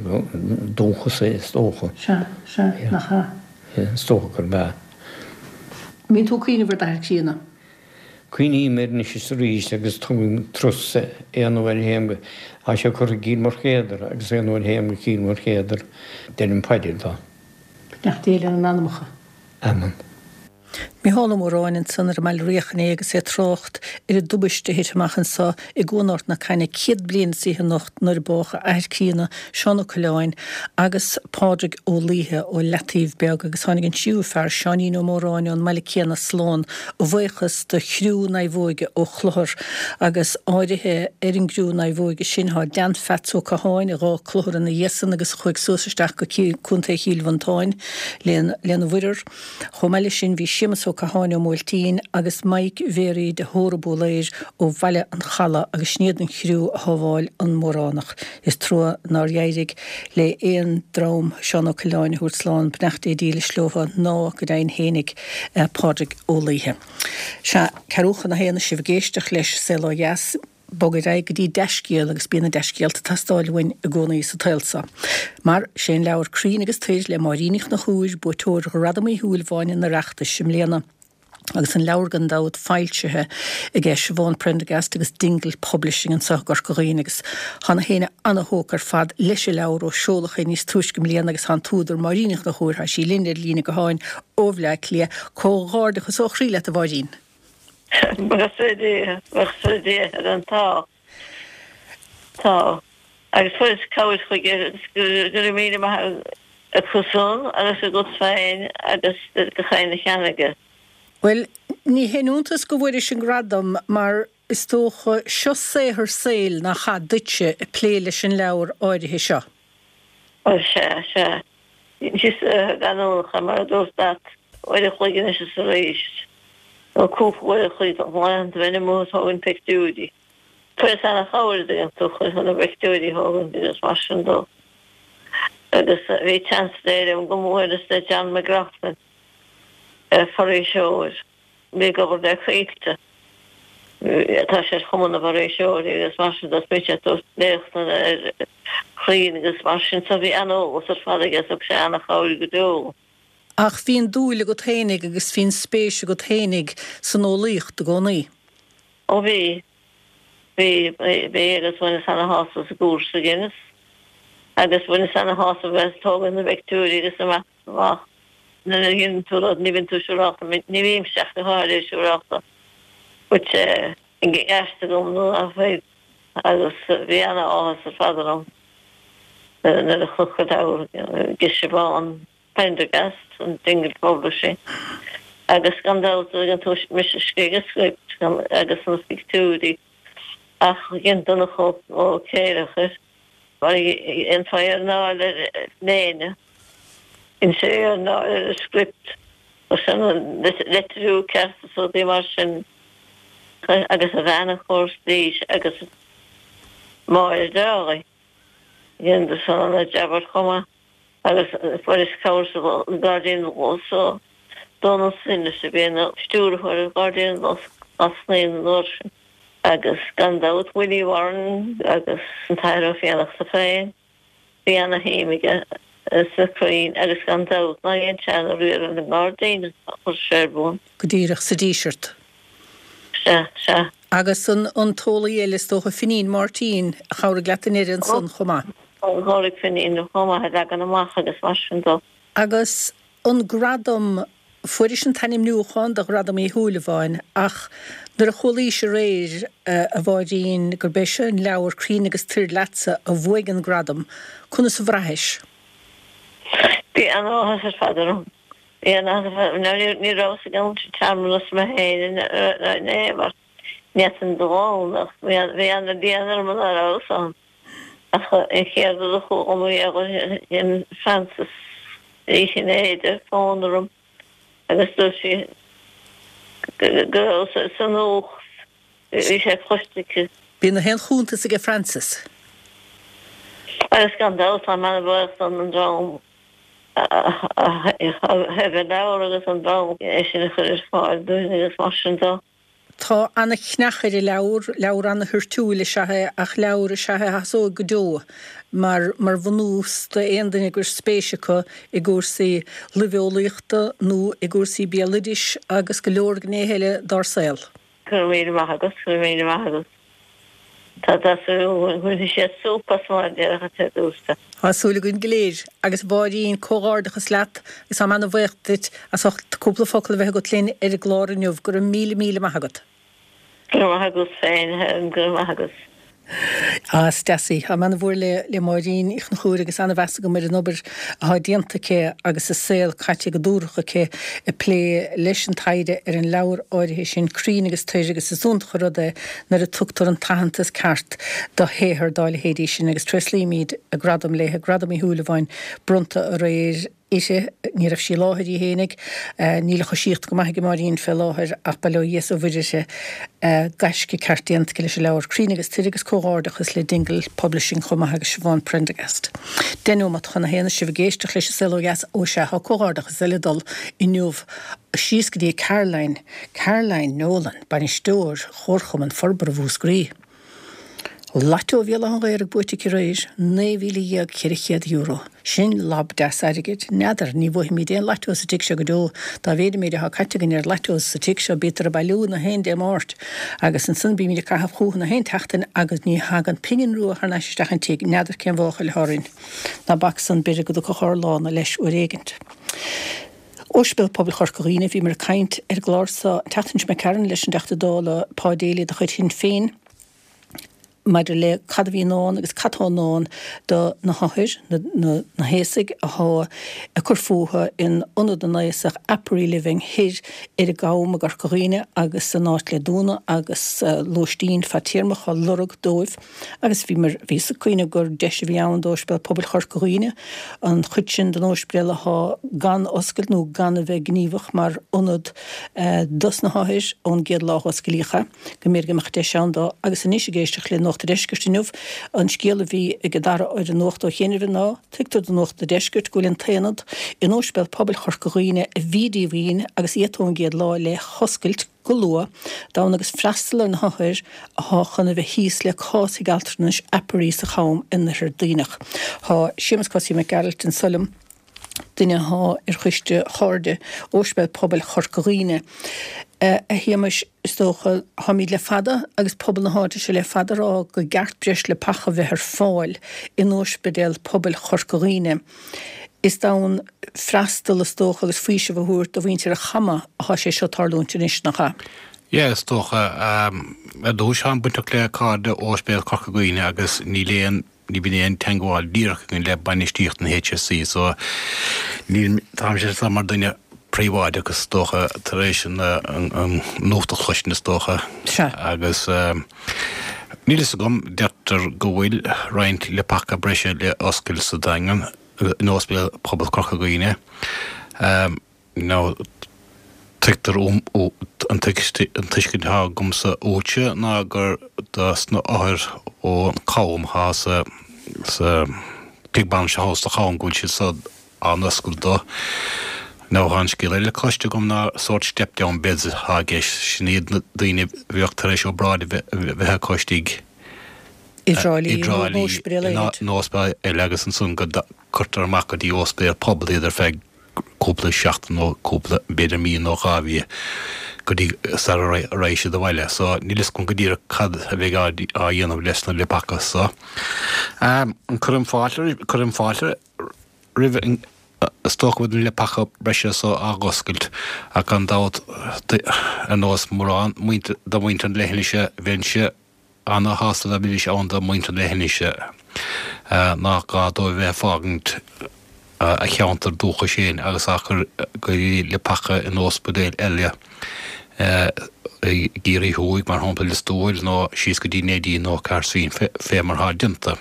dúchas é, is dócha. Sea, sea, nach ea? Is dócha gurb ea. An mbíonn tú ag cuimhneamh ar d'athair críonna? Cuimhním air anois is arís agus tugaim turas aon uair a théim go, tá sé curtha i gCill Moirchéadar agus aon uair a théim go Cill Moirchéadar deirim paidir dó. Beannacht Dé lena n-anamacha. Amen. Mícheál Ó Móráin ansan ar an mBaile Riach inné agus é ag trácht ar an dtubaiste a thit amach anso i gCuan Ard na Caithne céad bliain is fiche anocht nuair a bádh a athair críonna, Seán Ó Coileáin, agus Pádraig Ó Laoithe ó Leataobh Beag agus tháinig an tríú fear, Seáinín Ó Móráin ón mbaile céanna slán a bhuíochas do chriú naomhóige ó Chlochar agus áirithe ar an gcriú naomhóige sin tá Dan Pheats Ó Catháin a dh'fhág Clochar ina dhiaidh san agus a chuaigh suas isteach go Contae Chill Mhantáin lena mhuirear. Chomh maith leis sin bhí Séamus Ó Ó Catháin ó Bhuailtín agus Mike Mhéaraí de Hóra Búléir ó Bhaile an Chalaidh agus sin iad an chriú a shábháil an Móránach. Is trua nár éirigh le haon dream Seán Ó Coileáin a thabhairt slán, beannacht Dé dílis leo ná go deimhin fhéinig Pádraig Ó Laoithe. Sea, ceathrú chun a haon is sibh ag éisteacht leis Saol Ó Dheas. Bog ar aghaidh go dtí dea-scéal agus bíonn na dea-scéalta ag teastáil uainn i gcónaí sa tsaol seo. Mar sé an leabhar Crainn agus Toir le Máirín Uí Chonchúir, buaiteoir Ghradam Uí Shúilleabháin an Oireachtais i mbliana. Agus an leabhar gan dabht foilsithe aige Siobhán Prendergast agus Dingle Publishing anseo i gCorca Dhuibhne agus tá na héinne ana-thógtha ar fad leis an leabhar ó seoladh é níos túisce i mbliana agus tá an t-údar Máirín Uí Chonchúir, tá sí linn ar líne gutháin ó Bhleá Cliath. Comhghairdeachas ó chroí leat a Mháirín. Buíochas le Dia, buíochas le Dia ar an tá. Tá. Agus fuaireas cabhair chuige agus go raibh míle maith acusan agus agat féin agus gach éinne a cheannaigh é. Bhuel, ní haon iontas go bhfuairis an gradam mar is dócha seo saothar saoil nach ea duitse ag plé leis an leabhar áirithe seo. Bhuel, sea, sea. Bhí sé leanúnach, mar a dúirt leat, uair a chloig anois is arís, nó cúpla uair a chloig laethanta bheinn amuigh ag tógaint pictiúirí. Fuaireas ana-chabhair an dtuigeann tú chun na pictiúirí a thógaint agus mar sin dó. Agus bhí seans léir go mór le John McLaughlin, foraoiseoir. Bhí ag obair le Coillte. Tá sé ar Chumann na bhForaoiseoirí agus mar sin de, bhí sé ag tabhairt léachtanna ar chrainn agus mar sin so bhí an-eolas ar fad aige, thug sé an-chabhair go deo. Ach bhí an dúil agat fhéinig agus bhí an spéis agat fhéinig san eolaíocht i gcónaí. Ó bhí. Bhí, bhí agus bhaineas ana-shásamh as an gcúrsa a dheineas agus bhaineas ana-shásamh as tógaint na bpictiúirí agus amach amach. Nuair a dhéanann tú rud, ní bhíonn tú siúrálta, ní bhímse ach go háirithe siúrálta go bhfuil sé i gceart agam nó nach bhfuil agus bhí ana-áthas ar fad orm nuair a chonac an leabhar ag Siobhán Prendergast, an Dingle Publishing, agus gan dabht an dtuigeann tú mise a scríobh an script agus na pictiúirí ach dhein Donncha Ó Céileachair mar a dhéanfá iarnáil ar léine. Dhein sé iarnáil ar an script agus an litriú ceart is rudaí mar sin agus a bhean a chur leis agus Máire Dálaigh. Dhein san ana-jab chomh maith agus fuaireas cabhair sa Ghairdín Lus ó Dónal Synott a bhí ina stiúrthóir ar Ghairdín Lus Ghlas Naíon an uair sin. Agus gan dabht Willie Warren agus an tAthair Ó Fiannachta féin, bhí ana-shuim aige sna crainn agus gan dabht ná dhein sé ana-riar ar an ngairdín a chuir sé ar bun. Go díreach, sa Díseart. Sea, sea. Agus an an t-eolaí eile is dócha, Finín Máirtín, a chabhraigh leat i ndeireadh ansan chomh maith. Chabhraigh Finín chomh maith a leagan amach agus mar sin dó. Agus an gradam Fuairis an t-ainmniúchán do Ghradam Uí Shúilleabháin ach nuair a chualaís aréir, a Mháirín, gurb é seo an leabhar Crainn agus Toir leatsa a bhuaigh an gradam, conas a bhraithis? Bhí an-áthas ar fad orm. Bhí an-áthas ar fad orm. Ní rabhas ag an searmanas mé féin in aon chor. Ní fhéadfainn dul ann ach bhí an-líon orm ná rabhas ann. Ach an chéad rud a chuala mé dhein Frances Ní Chinnéide fón orm agus dúirt sí go raibh sé sa nuacht, bhí sé cloiste aici. Bíonn na haon chuntas aige Frances. Agus gan dabht táim an-bhuíoch don dream a thaobh an leabhar agus an dream é sin a chur ar fáil dúinn agus mar sin de. Tá ana-chneach ar an leabhar, leabhar ana-thoirtiúil is ea é ach leabhar is ea é a sheasóidh go deo mar mar bhunús d'aon duine gur spéis acu i gcúrsaí luibheolaíochta nó i gcúrsaí béaloidis agus go leor gnéithe eile dár saol. Go raibh míle maith agat, go raibh míle maith agat. Tá tá súil againn go mbainfidh siad súp as mar a déarfadh an dúirt. Tá súil againn go léir. Agus a Mháirín, comhghairdeachas leat agus táim ana-bhuíoch duit as ucht cúpla focal a bheith agat linn ar an gclár inniu. Go raibh míle míle maith agat. Go raibh maith agat féin, a Helen, go raibh maith agat. Á, is deas í. Táim ana-mhór le le Máirín Uí Chonchúir agus ana-mheas agam ar an obair atá déanta aici agus a saol caite go dúthrach aici ag plé leis an taighde ar an leabhar áirithe sin, Crainn agus Toir, agus is iontach an rud é nuair a tugtar an t-aitheantas ceart do shaothar dá leithéidí sin agus tréaslaímid a gradam léi, Gradam Uí Shúilleabháin, bronnta aréir. uirthi, ní raibh sí i láthair í fhéinig, níl a choisíocht go maith ag Máirín fé láthair ach bail ó Dhia is ó Mhuire uirthi, gaisce ceart déanta aici leis an leabhar Cruinn agus Tuire agus comhghairdeachas le Dingle Publishing chomh maith agus Siobhán Prendergast. Deich nóimeat chun a haon is sibh ag éisteacht leis an Saol Ó Dheas, ó sea, tá comhghairdeachas eile ag dul inniu síos go dtí Caroline, Caroline Nolan, bainisteoir Chomharchumann Forbartha Mhúscraí. Lotto Bhéal Átha an Ghaorthaidh buaite aici aréir, naoi mhíle dhéag ceithre chéad euro. Sin lab deas airgid. N'fheadar, ní bhuafaimid aon lotto sa tigh seo go deo, dá mhéad an méid atá caite againn ar lottos sa tigh seo, bítear ag bailiú na haon Dé Máirt agus ansan bímid ag caitheamh chúthu na haon tseachtain agus ní thagann pingin rua thar n-ais isteach an tigh, n'fheadar cén mháchail atá orainn. Ná bac san, b'fhéidir go dtiocfadh ár lá-na leis uair éigint. Ospidéal Pobail Chorca Dhuibhne, bhíomar ag caint ar an gclár seo an tseachtain seo imigh tharainn leis an dTeachta Dála Pa Daly de chuid Shinn Féin, maidir le cad a bhí i ndán agus cad tá i ndán do na hothair, na haosaigh athá ag cur fúthu in Ionad na nAosach Apparee Living thoir ar an gCam i gCorca Dhuibhne agus san áit le dúnadh agus lóistín fadtéarmach á lorg dóibh agus bhíomar, bhíos ag cuimhneamh gur deis a bhí ann d'Ospidéal Pobail Chorca Dhuibhne an chuid sin den ospidéal athá gan oscailt nó gan a bheith gníomhach mar ionad dos na hothair ón gcéad lá a osclaíodh é. go mb'fhéidir go mbeadh deis ann dó. Agus anois ag éisteacht le Nuacht a' Deiscirt inniu, an scéal a bhí ag Dara ar an nuacht ó chianaibh ná, tuigtear do Nuacht a' Deiscirt go bhfuil an t-aonad in Ospidéal Pobail Chorca Dhuibhne a bhí díomhaoin agus iata ón gcéad lá le hoscailt go luath, d'fhonn agus freastal ar na hothair athá chun a bheith thíos le cás thigh altranais Apparee sa Cham in Oirthear Duibhneach. Tá Séamus Cosaí Mac Gearailt anso liom. duine athá ar choiste Chairde Ospidéal Pobail Chorca Dhuibhne. A Shéamais, is dócha, táimid le fada agus pobal na háite seo le fada a rá go gceart breis leapacha a bheith ar fáil in Ospidéal Pobail Chorca Dhuibhne. Is d'fhonn freastal, is dócha, agus faoiseamh a thabhairt do mhuintir an Chama athá sé seo tarlúint anois, nach ea? Yeah, is dócha. Ar dtús, táim bainteach le Cairde Ospidéal Chorca Dhuibhne agus níl aon Ní bhíonn aon teagmháil díreach againn le bainistíocht an HSE so níl, táimse anseo mar duine príobháideach is dócha tar éis an nuacht a chloisint is dócha. Sea. Agus níl fhios agam, deirtear go bhfuil roinnt leapacha breise le oscailt sa Daingean, in Ospidéal Pobail Chorca Dhuibhne. Now, tuigtear uaim, an tuiscint atá agamsa uaitse ná gur dos na othair ón Cham atá sa, sa tigh bainise thall sa Cham go bhfuil siad so á n-oscailt dó. Now, tá an scéal eile cloiste agam ná sórt step down beds atá i gceist, sin iad na daoine a bheadh tar éis obráid a bheith acu istigh I dTrá Lí i nó dTrá in Lí ospidéal eile. in ospidéal eile agus ansan go gcuirtear amach go dtí ospidéal pobail iad ar feadh cúpla seachtain nó cúpla, b'fhéidir mí nó dhá mhí go dtí sara raghaidh siad abhaile. So níl fhios agam go díreach cad a bheidh á dhéanamh leis na leapacha so. Cuirim fáilte, cuirim fáilte roimh an, is dócha go bhfuil na leapacha breise so á dh'oscailt ach gan dabht ar nós mórán de mhuintir na leithinise bheinnse ana-shásta dá mbeidís ann do mhuintir na leithinise nach gá dóibh bheith ag fágaint a cheantar dúchais féin agus á chur go dtí leapacha in óspidéil eile i gCiarraí Thuaidh, mar shampla Lios Tuathail, nó síos go dtí Neidín nó Cahersiveen, fé mar atá déanta.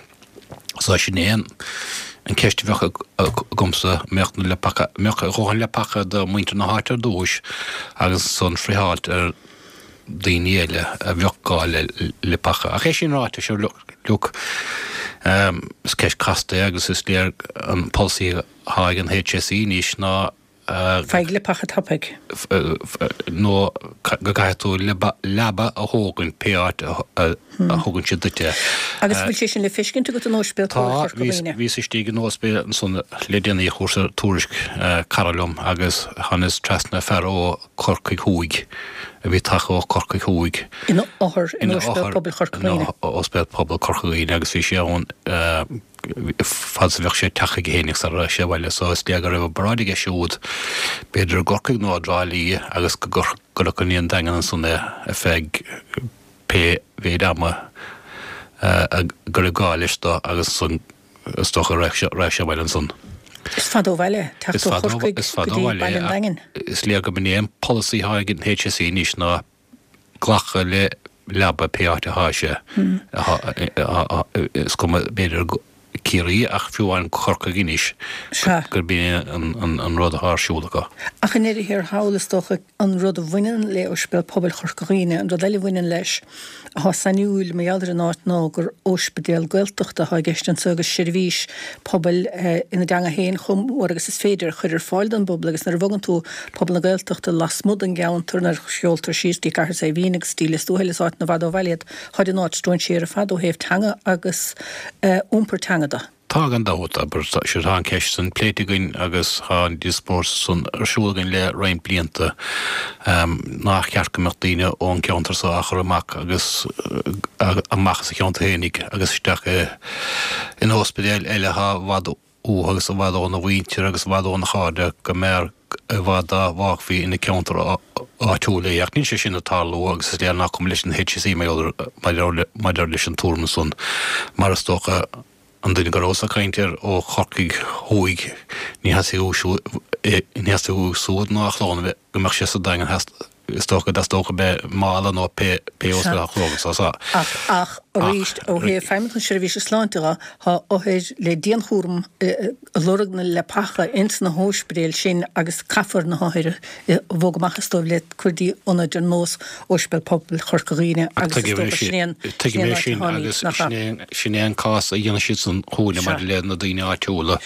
So sin é an cheist a bheadh agamsa, mbeadh na leapacha, mbeadh a dhóthain leapacha do mhuintir na háite ar dtúis agus ansan friotháilt ar daoine eile a bheadh gá le leapacha. Ach é sin ráite, sure look, is ceist casta é agus is léir an polasaí atá ag an HSE anois ná Faigh leapacha tapaidh. nó go gcaithfidh tú leaba a thógaint pé áit a thugann siad duit é. Agus bhfuil sé sin le feiscint agat in Ospidéal Tá, Chorca Dhuibhne? bhíos istigh in ospidéal ansan le déanaí, chuir tuairisc cara liom agus thánas trasna fear ó Chorcaigh Thuaidh a bhí tagtha ó Chorcaigh Thuaidh. Ina othar in Ina Ospidéal othar Pobail Chorca in Dhuibhne. Ospidéal Pobail Chorca Dhuibhne agus bhí sé ann fad is a bheadh sé ag teacht chuige fhéinig sara raibh sé abhaile so is léir go raibh obráid aige siúd b'fhéidir i gCorcaigh nó i dTrá Lí agus go gcuireadh go dtí an Daingean ansan é ar feadh pé mhéid ama go raibh gá leis dó agus ansan is dócha raibh sé abhaile ansan. Is fada ó bhaile, teacht Is ó fada ó Chorcaigh is go fada ó dtí bhaile Baile é an ach Daingin. is léir go mb'in é an polasaí atá ag an HSE anois ná glacadh le leaba pé áit atá sé. Is cuma b'fhéidir Ciarraí ach fiú amháin go Corcaigh anois gurb é an rud atá ar siúl acu. Ach i ndeireadh thiar thall, is dócha, an rud a bhaineann le Ospidéal Pobail Chorca Dhuibhne, an rud eile a bhaineann leis atá sainiúil mar gheall ar an áit ná gur óispidéal Gaeltachta atá i gceist anseo agus seirbhís pobail ina dteanga féin chomh mór agus is féidir a chur ar fáil don bpobal agus nuair a bhogann tú pobal na Gaeltachta lasmuigh den gceantar, nuair a sheoltar síos dtí Cathair Saidhbhín agus dtí Lios Tuathail is áiteanna i bhfad ó bhaile iad, táid in áit stróinséir ar fad ó thaobh teanga agus iompar teanga de. Tá gan dabht, abair, sure tá an ceist san pléite againn agus tá an díospóireacht san ar siúl againn le roinnt blianta, nár cheart go mbeadh daoine ón gceantar so á chur amach agus amach as a cheantar fhéinig agus isteach in óispidéal eile atá i bhfad uathu agus i bhfad óna mhuintir agus i bhfad óna chairde, go mb'fhearr i bhfad dá bhfágfaí ina gceantar áitiúil é. Ach níl sé sin ag tarlú agus is léir nach cuma leis an HSE maidir leis an tuairim san, mar is dócha. An duine go rabhas ag caint air ó Chorcaigh Thuaidh, ní theastaigh uaidh siúd ná a chlann a bheith, go mbeadh sé sa Daingean, is dócha go dteastódh a bheith i Mala nó pé ospidéal a chlóg sa sa. Ach, ach arís, ó thaobh Feidhmeannacht na Seirbhíse Sláinte dhe, tá othair le dianchúram ag lorg na leapacha ins na hóispidéil sin agus caithfear na hothair a bhogadh amach is dóibh le cur dtí ionaid ar nós Ospidéal Pobail Chorca Dhuibhne agus is dócha sin é an Tuigim é sin agus sin é an cás a dhéanann siadsan chugainne maidir le na daoine áitiúla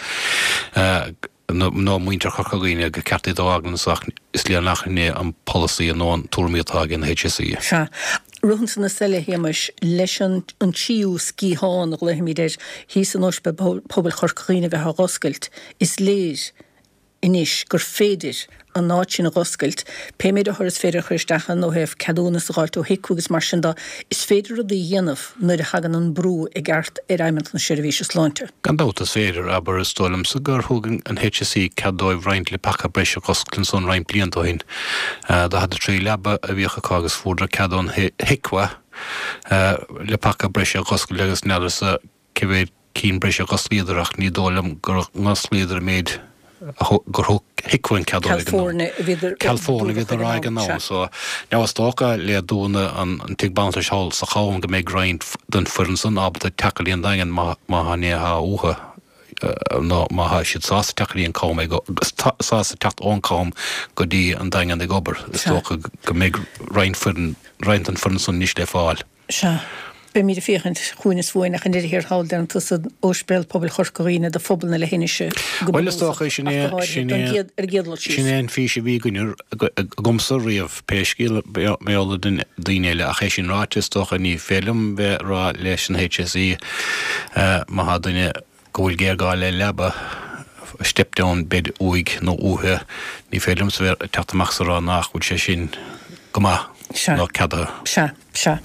nó muintir Chorca Dhuibhne gur ceart iad a fhágáil anso ach is léir nach in é an polasaí nó an tuairim atá ag an HSE. Sea. Rud ansan is eile, a Shéamais, leis an tríú sciathán, a ghlaofaimid air, thíos in Ospidéal Pobail Chorca Dhuibhne a bheith á dh'oscailt, is léir anois gur féidir an áit sin a dh'oscailt, pé méid othar is féidir a chur isteach ann ó thaobh ceadúnas a dh'fháilt ó HIQA agus mar sin de, is féidir rudaí a dhéanamh nuair a thagann an brú i gceart ar Fheidhmeannacht na Seirbhíse Sláinte. Gan dabht is féidir, abair, is dóigh liomsa gur thug an HSE cead dóibh roinnt leapacha breise a dh'oscailt ansan roinnt blianta ó shin. Daichead a trí leaba a bhíodh acu agus fuaireadar cead ón HIQA leapacha breise a dh'oscailt agus n'fheadarsa cé mhéad cinn breise a dh'osclaíodar ach ní dóigh liom gur dh'osclaíodar an méid gur thug HIQA an cead dóibh ag an am. Ceal foirne a bhíodar a rá ag an am so now is dócha le dúnadh an tigh banaltrais thall sa Chabhán go mbeidh roinnt den foireann san ábalta teacht go dtí an Daingean má tá an atá uathu nó má tá siad sásta teacht go dtí an Cam ag sásta teacht ón Cham go dtí an Daingean ag obair is dócha go mbeidh roinnt foireann roinnt den foireann san anois le fáil. Sea. Beimid ag féachaint chugainn is uainn ach i ndeireadh thiar thall deireann tusa Ospidéal Pobail Chorca Dhuibhne do phobal na leithinise go Bhuel is dócha sin é sin é ar an gcéad dul síos. Sin é an fís a bhí againne agamsa riamh pé scéal mar gheall ar daoine eile ach é sin ráite is dócha ní féidir liom bheith ag rá leis an HSE má thá duine go bhfuil géarghá le leaba step down bed uaidh nó uaithe ní féidir liomsa bheith ag teacht amach is a rá nach bhfuil sé sin go maith nó ceadaithe. Sea, sea.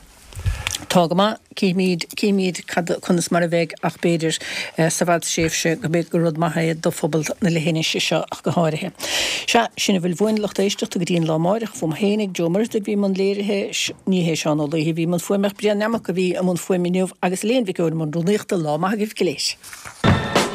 Tá go maith, cífimid, cífimid cad, conas mar a bheidh ach b'fhéidir sa bhfadtréimhse go mbeidh, gur rud maith é do phobal na leithinise seo ach go háirithe. Sea, sin a bhfuil uainn, lucht éisteachta, go dtí an lá amáireach. Fúm fhéinig, Joe Muirthigh a bhí i mbun léirithe, ní hé Seán Ó Laoithe a bhí i mbun fuaime ach Brian Nammock a bhí i mbun fuaime inniu agus Elaine Mhic Eoin i mbun rúnaíochta. Lá maith agaibh go léir.